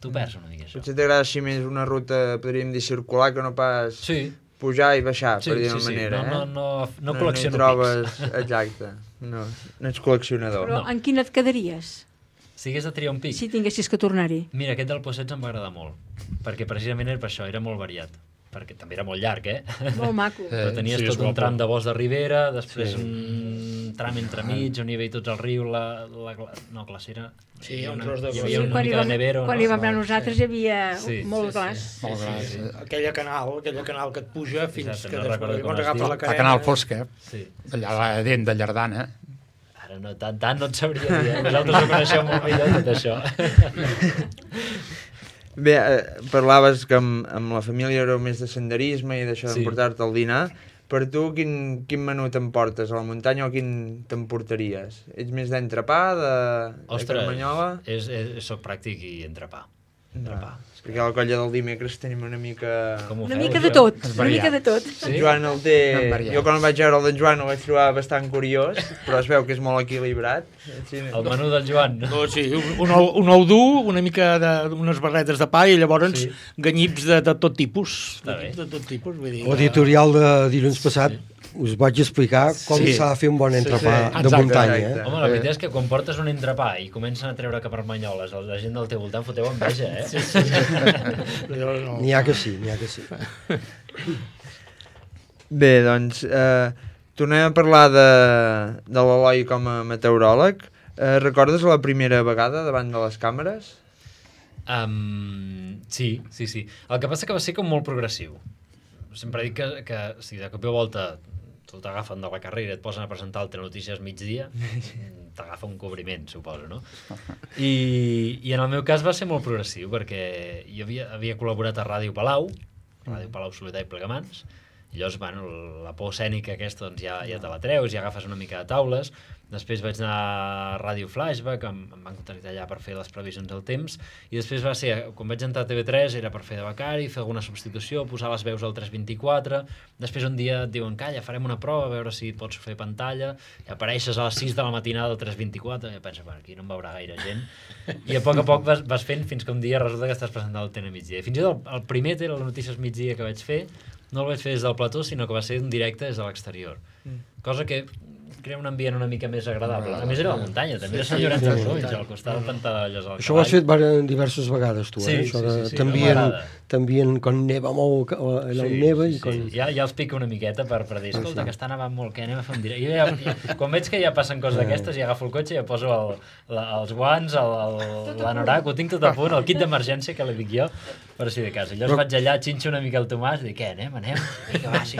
t'ho perds una mica, això. Potser t'agrada així més una ruta, podríem dir, circular, que no pas pujar i baixar, per dir-ho manera. No col·lecciono trobes... Exacte, no ets col·leccionador. Però en quin et quedaries? Si hagués de triar un pic? Si tinguessis que tornar-hi. Mira, aquest del Possets em va agradar molt, perquè precisament era per això, era molt variat. Perquè també era molt llarg, Molt maco. Però tenies tot un tram de bosc de ribera, després un tram entremig on hi havia tots el riu, no, glacera... Sí, un tros de... Hi havia una mica de nevero. Quan hi vam anar nosaltres hi havia molt glaç. Aquella canal que et puja fins que després llavors agafa la carena. La canal fosca, allà dent de Llardana. Ara no, tant no et sabria dir, vosaltres ho coneixeu molt millor tot això. Bé, parlaves que amb la família éreu més de senderisme i d'això d'emportar-te al dinar. Per tu, quin menú t'emportes a la muntanya o quin t'emportaries? Ets més d'entrepà, de carmanyola? Soc pràctic i entrepà. Perquè a la colla del dimecres tenim una mica... Una mica de tot, una mica de tot. En Joan el té... Jo quan vaig veure el d'en Joan el vaig trobar bastant curiós, però es veu que és molt equilibrat. El menú del Joan. Sí, un ou dur, una mica d'unes barretes de pa i llavors ganyips de tot tipus. De tot tipus, vull dir... L'editorial de dilluns passat us vaig explicar com s'ha de fer un bon entrepà de muntanya. Home, la veritat és que quan portes un entrepà i comencen a treure caparmanyoles, la gent del teu voltant foteu enveja, N'hi ha que sí, n'hi ha que sí. Bé, doncs, tornem a parlar de l'Eloi com a meteoròleg. Recordes la primera vegada davant de les càmeres? Sí. El que passa que va ser com molt progressiu. Sempre dic que si de cop i volta tu t'agafen de la carrera i et posen a presentar el Telenotícies migdia, t'agafa un cobriment, suposo, no? I en el meu cas va ser molt progressiu, perquè jo havia col·laborat a Ràdio Palau Solità i Plegamans, i llavors, bueno, la por escènica aquesta doncs ja te la treus, ja agafes una mica de taules. Després vaig anar a Ràdio Flashback, em van contactar allà per fer les previsions del temps, i després va ser, quan vaig entrar a TV3 era per fer de becari, fer alguna substitució, posar les veus al 324, després un dia et diuen, calla, farem una prova, a veure si pots fer pantalla, i apareixes a les 6 de la matinada al 324, i penses, bueno, aquí no em veurà gaire gent, i a poc vas fent fins que un dia resulta que estàs presentant el TN migdia. I fins i tot el primer Telenotícies migdia que vaig fer, no el vaig fer des del plató, sinó que va ser un directe des de l'exterior, cosa que crea un ambient una mica més agradable. A més era la muntanya, també era Sant Llorenç de Morunys, al costat del Pantà d'Olles al Cavall. Això ho has fet diverses vegades, tu, això també quan neva molt, allà on neva i quan... Ja els pica una miqueta per dir, escolta, que està nevant molt, que anem a fer un directe. Quan veig que ja passen coses d'aquestes, ja agafo el cotxe i ja poso els guants, l'anorac, ho tinc tot a punt, el kit d'emergència que li dic jo, per si de cas. I llavors vaig allà, xinxo una mica el Tomàs i dic, què, anem? Vinga, va, sí.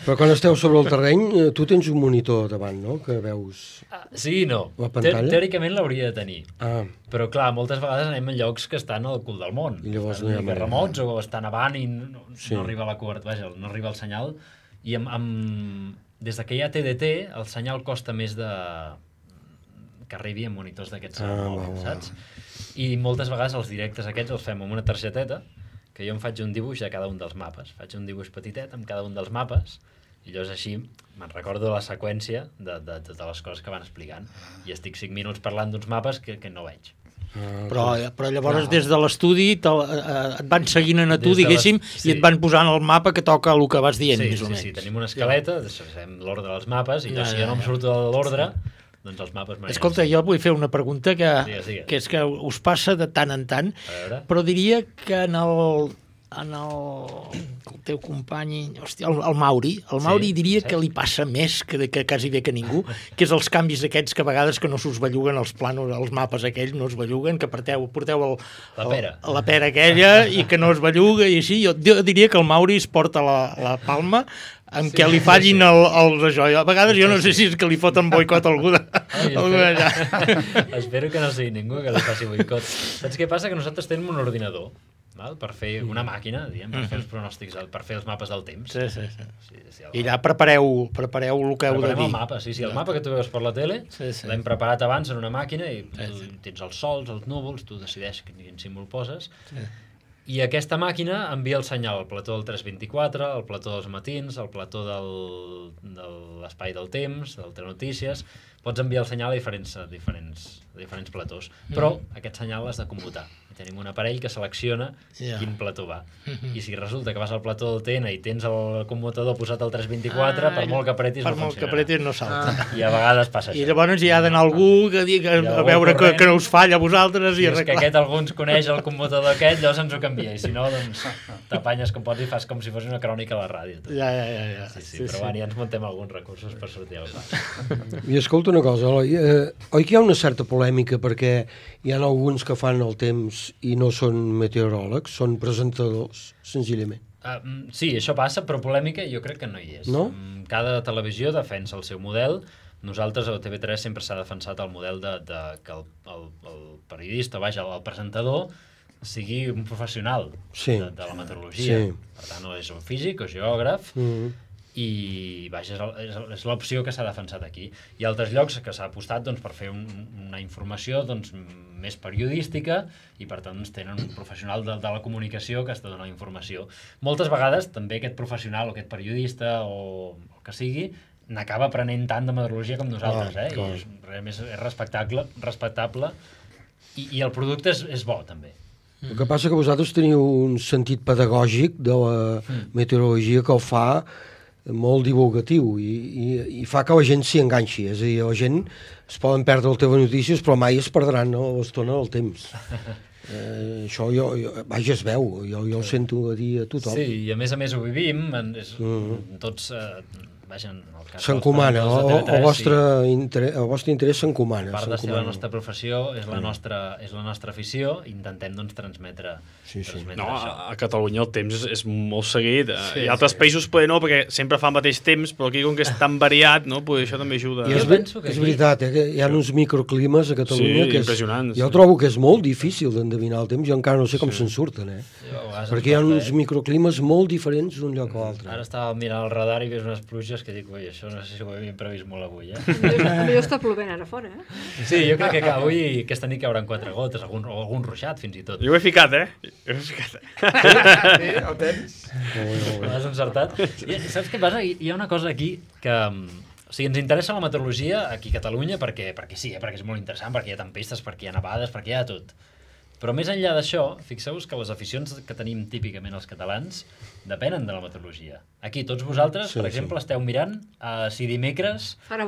Però quan esteu sobre el terreny, tu tens un monitor davant, no?, que veus sí i no. La pantalla. Teòricament l'hauria de tenir. Però clar, moltes vegades anem en llocs que estan al cul del món. I llavors estan remots o estan avant i no arriba la cobertura, vaja, no arriba el senyal. I des que hi ha TDT, el senyal costa més que arribi en monitors d'aquests saps? I moltes vegades els directes aquests els fem amb una targeteta, que jo em faig un dibuix de cada un dels mapes. Faig un dibuix petitet amb cada un dels mapes, i llavors així me'n recordo la seqüència de totes les coses que van explicant, i estic 5 minuts parlant d'uns mapes que no veig. Però llavors des de l'estudi et van seguint a tu, diguéssim, i et van posant el mapa que toca el que vas dient, més o menys. Sí, tenim una escaleta, fem l'ordre dels mapes, i si jo no em surto de l'ordre, doncs els mapes... Escolta, jo vull fer una pregunta que és que us passa de tant en tant, però diria que en el teu company, hòstia, el Mauri diria que li passa més que quasi bé que ningú, que és els canvis aquests que a vegades que no s'us belluguen els planos, els mapes aquells no es belluguen, que porteu la pera aquella i que no es belluga i així. Jo diria que el Mauri es porta la palma amb què li fallin els això. A vegades jo no sé si és que li foten boicot a algú allà. Espero que no sigui ningú que li faci boicot. Saps què passa? Que nosaltres tenim un ordinador per fer una màquina, per fer els pronòstics, per fer els mapes del temps. I allà prepareu el que heu de dir. Preparem el mapa, el mapa que tu veus per la tele, l'hem preparat abans en una màquina i tens els sols, els núvols, tu decideix quin símbol poses, I aquesta màquina envia el senyal al plató del 324, al plató dels matins, al plató de l'espai del temps, del Telenotícies. Pots enviar el senyal a diferents platós. Però aquest senyal l'has de commutar. I tenim un aparell que selecciona quin plató va. I si resulta que vas al plató del TN i tens el commutador posat al 324, per molt que apretis no funcionarà. Per molt que apretis no salta. I a vegades passa això. I llavors hi ha d'anar algú que digui a veure que no us falla a vosaltres i arreglar. És que aquest algú ens coneix el commutador aquest, llavors ens ho canvia. I si no, doncs t'apanyes com pots i fas com si fos una crònica a la ràdio. Ja. Sí, però ja ens muntem alguns recursos per sortir al pas. I escolta una cosa, Eloi, oi que hi ha una certa polèmica perquè hi ha alguns que fan el temps i no són meteoròlegs, són presentadors, senzillament? Sí, això passa, però polèmica jo crec que no hi és. No? Cada televisió defensa el seu model. Nosaltres a TV3 sempre s'ha defensat el model que el periodista, el presentador, sigui un professional de la meteorologia. Per tant, no és un físic o geògraf, i és l'opció que s'ha defensat aquí. Hi ha altres llocs que s'ha apostat per fer una informació més periodística i per tant tenen un professional de la comunicació que està donant informació. Moltes vegades també aquest professional o aquest periodista o el que sigui n'acaba aprenent tant de meteorologia com nosaltres, i és respectable i el producte és bo també. El que passa que vosaltres teniu un sentit pedagògic de la meteorologia que el fa molt divulgatiu i fa que la gent s'hi enganxi, és a dir, la gent es poden perdre el Telenotícies però mai es perdran l'estona del temps. Això vaja, es veu, jo ho sento a dir a tothom. Sí, i a més ho vivim, tots s'encomana, el vostre interès s'encomana. A part de ser la nostra professió, és la nostra afició, intentem transmetre no, a Catalunya el temps és molt seguit, i altres països poder no, perquè sempre fa el mateix temps, però aquí com que és tan variat, això també ajuda. És veritat, que hi ha uns microclimes a Catalunya que impressionants. Jo trobo que és molt difícil d'endevinar el temps, jo encara no sé com se'n surten, perquè hi ha uns microclimes molt diferents d'un lloc a l'altre. Ara estava mirant el radar i veus unes pluges que dic, oi, això no sé si ho havíem previst molt avui, Potser està plovent ara fora, Sí, jo crec que avui, aquesta nit cauran 4 gotes, o algun ruixat, fins i tot. Jo ho he ficat, Sí, el temps. L'has encertat. Saps què passa? Hi ha una cosa aquí que... O sigui, ens interessa la meteorologia aquí a Catalunya perquè sí, perquè és molt interessant, perquè hi ha tempestes, perquè hi ha nevades, perquè hi ha tot. Però més enllà d'això, fixeu-vos que les aficions que tenim típicament els catalans depenen de la meteorologia. Aquí, tots vosaltres, per exemple, esteu mirant si dimecres farà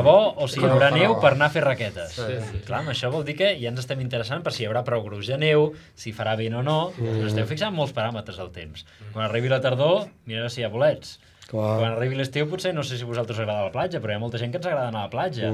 bo o si hi haurà neu per anar a fer raquetes. Clar, això vol dir que ja ens estem interessant per si hi haurà prou gruix de neu, si farà vent o no, però esteu fixant molts paràmetres del temps. Quan arribi la tardor, mireu si hi ha bolets. Quan arribi l'estiu, potser no sé si a vosaltres us agrada la platja, però hi ha molta gent que ens agrada anar a la platja.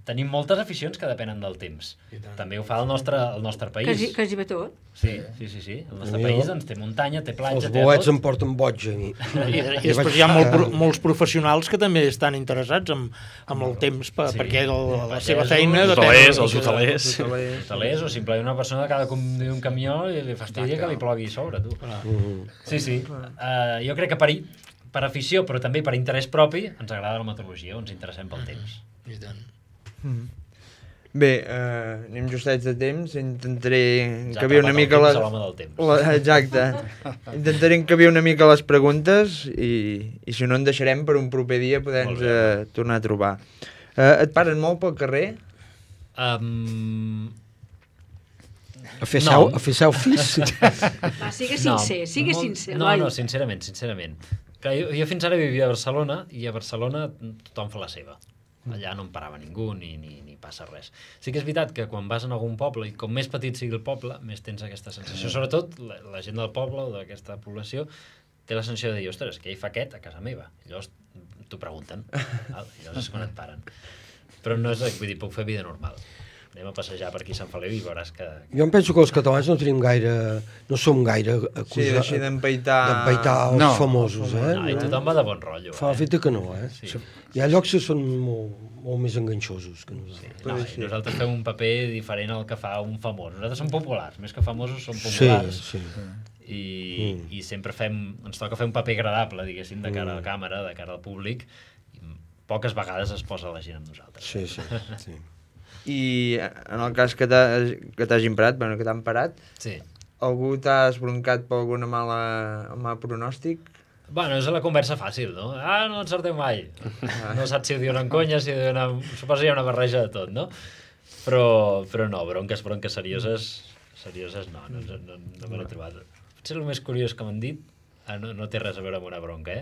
Tenim moltes aficions que depenen del temps. També ho fa el nostre país. Quasi bé tot. Sí. El nostre país té muntanya, té platja, té tot. Els bolets em porten boig a mi. I després hi ha molts professionals que també estan interessats amb el temps, perquè la seva feina depèn. Els hotelers. O simplement una persona que ha de conduir un camió i li fastidia que li plogui a sobre, tu. Sí. Jo crec que per afició, però també per interès propi, ens agrada la meteorologia, ens interessem pel temps. I tant. Bé, anem justets de temps, intentaré encabir una mica les... Exacte. Intentaré encabir una mica les preguntes i si no en deixarem per un proper dia poder-nos tornar a trobar. Et paren molt pel carrer? A fer selfies? Va, sigue sincer. No, sincerament. Jo fins ara vivia a Barcelona i a Barcelona tothom fa la seva. Allà no em parava ningú ni passa res. Sí que és veritat que quan vas en algun poble, i com més petit sigui el poble, més tens aquesta sensació. Sobretot la gent del poble o d'aquesta població té la sensació de dir, ostres, què hi fa aquest a casa meva? I llavors t'ho pregunten. Llavors és quan et paren. Però no és, vull dir, puc fer vida normal. Anem a passejar per aquí a Sant Feliu i veuràs que... Jo em penso que els catalans no som gaire acusats... Sí, així d'empaitar els famosos, I tothom va de bon rotllo. Fa l'efecte que no, Hi ha llocs que són molt més enganxosos que nosaltres. Nosaltres fem un paper diferent al que fa un famós. Nosaltres som populars, més que famosos som populars. I sempre ens toca fer un paper agradable, diguéssim, de cara a la càmera, de cara al públic. Poques vegades es posa la gent amb nosaltres. Sí. I en el cas que t'hagin parat, bueno, que t'han parat, sí. Algú t'ha esbroncat per alguna mal pronòstic? Bueno, és la conversa fàcil, no? No encerteu mai. No saps si ho diuen en conya, si ho diuen en... Suposo que hi ha una barreja de tot, no? Però no, bronques serioses no me l'he trobat. Potser el més curiós que m'han dit, no té res a veure amb una bronca,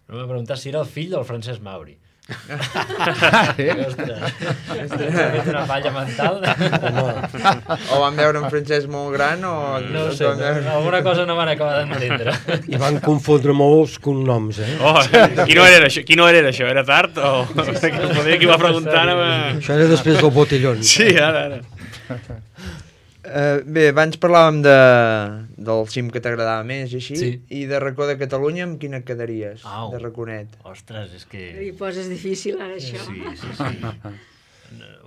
no m'ha preguntat si era el fill del Francesc Mauri. Ostres, s'ha fet una falla mental. O van veure un Francesc molt gran o... No ho sé, alguna cosa no van acabar d'entendre. I van confondre molts cognoms, Qui no era això? Era tard? O poder qui va preguntar... Això era després del botellón. Sí, ara. Bé, abans parlàvem del cim que t'agradava més i així, i de racó de Catalunya amb quina quedaries, de raconet? Ostres, és que... Li poses difícil, ara, això. Sí.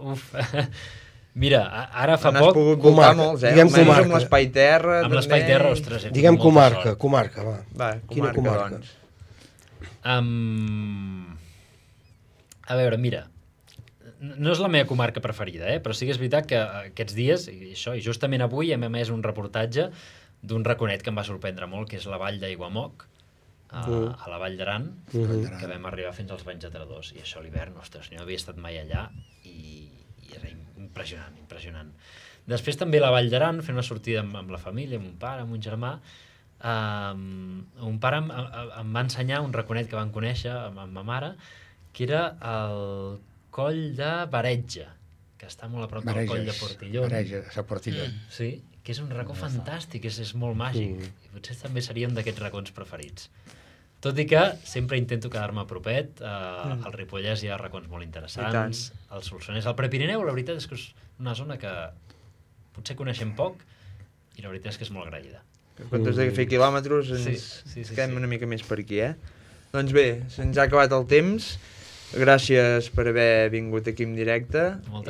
Uf. Mira, ara fa poc... N'has pogut voltar molts, Diguem comarca. Amb l'Espai Terra... Amb l'Espai Terra, ostres, diguem comarca, va. Va, quina comarca? A veure, mira... No és la meva comarca preferida, però sí que és veritat que aquests dies, i justament avui hem emès un reportatge d'un raconet que em va sorprendre molt, que és la vall d'Aiguamoc, a la Vall d'Aran, que vam arribar fins als Banys de Tredós. I això a l'hivern, ostres, no havia estat mai allà i era impressionant. Després també la Vall d'Aran, fent una sortida amb la família, amb un pare, amb un germà. Un pare em va ensenyar un raconet que van conèixer amb ma mare, que era el coll de Baretja, que està molt a prop del coll de Portillon. Bareges, a Portillon. Sí, que és un racó fantàstic, és molt màgic. I potser també seria un d'aquests racons preferits. Tot i que sempre intento quedar-me a propet. Al Ripollès hi ha racons molt interessants. Al Solsonès, al Prepirineu, la veritat és que és una zona que potser coneixem poc i la veritat és que és molt agraïda. En comptes de fer quilòmetres ens quedem una mica més per aquí, Doncs bé, se'ns ha acabat el temps. Gràcies per haver vingut aquí en directe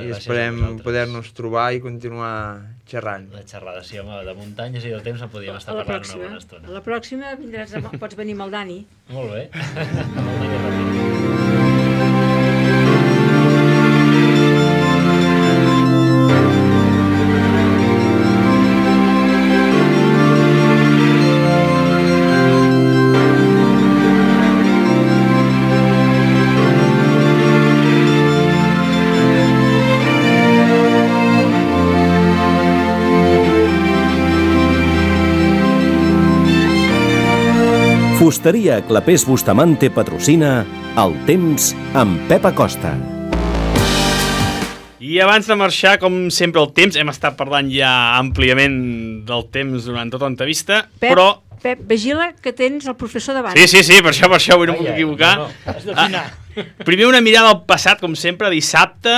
i esperem poder-nos trobar i continuar xerrant. La xerrada, sí, home, de muntanyes i del temps en podíem estar parlant una bona estona. A la pròxima pots venir amb el Dani. Molt bé. Fusteria Clapés Bustamante patrocina El Temps amb Pep Acosta. I abans de marxar, com sempre, el temps, hem estat parlant ja àmpliament del temps durant tota l'entrevista, però... Pep, vigila que tens el professor davant. Sí, per això avui no em puc equivocar. Has d'afinar. Primer una mirada al passat, com sempre, dissabte,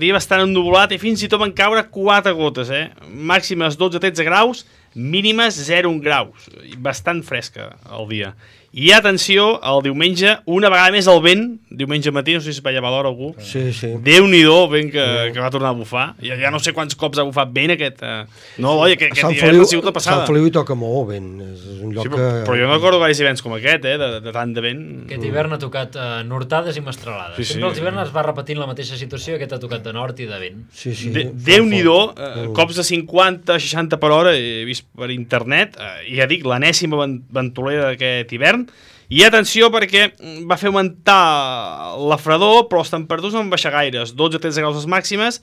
dia bastant ennuvolat i fins i tot van caure 4 gotes, màximes 12-13 graus, mínimes 0 graus, bastant fresca el dia. I atenció, el diumenge, una vegada més el vent, diumenge matí, no sé si es veia a l'hora algú, Déu-n'hi-do, vent que va tornar a bufar, ja no sé quants cops ha bufat vent aquest... No, oi, aquest hivern ha sigut la passada. Sant Feliu hi toca molt vent, és un lloc que... Però jo no recordo gaire hiverns com aquest, de tant de vent. Aquest hivern ha tocat nortades i mestralades. Sempre els hiverns es va repetint la mateixa situació, aquest ha tocat de nord i de vent. Déu-n'hi-do, cops de 50-60 per hora, he vist per internet, i ja dic, l'enèsima ventolera d'aquest hivern. I atenció perquè va fer augmentar la fredor, però les temperatures no van baixar gaires, 12-13 graus les màximes,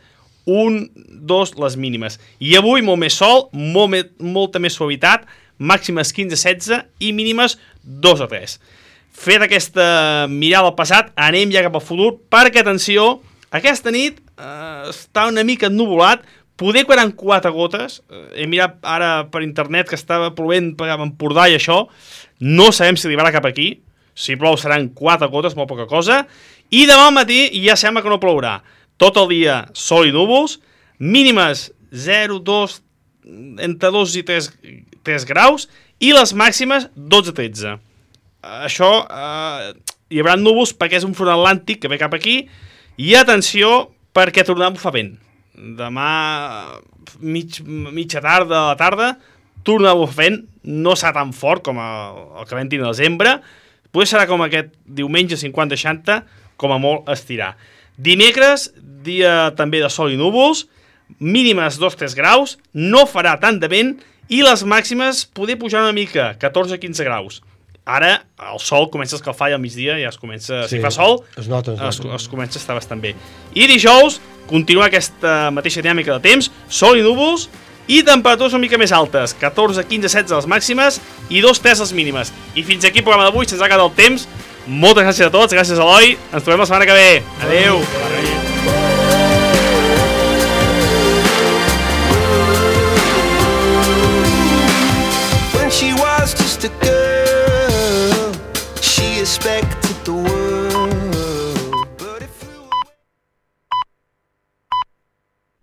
1-2 les mínimes. I avui molt més sol, molta més suavitat, màximes 15-16 i mínimes 2-3. Fet aquesta mirada al passat, anem ja cap al futur, perquè, atenció, aquesta nit està una mica ennuvolat, poder quedar 4 gotes, he mirat ara per internet que estava plovent per Empordà i això, no sabem si arribarà cap aquí, si plou seran 4 gotes, molt poca cosa, i demà al matí ja sembla que no plourà. Tot el dia sol i núvols, mínimes 0, 2, entre 2 i 3 graus, i les màximes 12-13. Això, hi haurà núvols perquè és un front atlàntic que ve cap aquí, i atenció perquè tornarà a bufar vent. Demà, mitja tarda, a la tarda, torna a bufar vent, no serà tan fort com el que vam tenir a desembre, potser serà com aquest diumenge 50-60, com a molt estirar. Dimecres, dia també de sol i núvols, mínimes 2-3 graus, no farà tant de vent i les màximes poder pujar una mica, 14-15 graus. Ara el sol comença a escalfar i al migdia ja es comença... Sí, si fa sol, es nota. Es comença a estar bastant bé. I dijous, continua aquesta mateixa dinàmica de temps, sol i núvols i temperatures una mica més altes, 14, 15, 16 les màximes i 2-3 les mínimes. I fins aquí el programa d'avui, se'ns ha acabat el temps. Moltes gràcies a tots, gràcies Eloi, ens trobem la setmana que ve. Adéu. When she was just a girl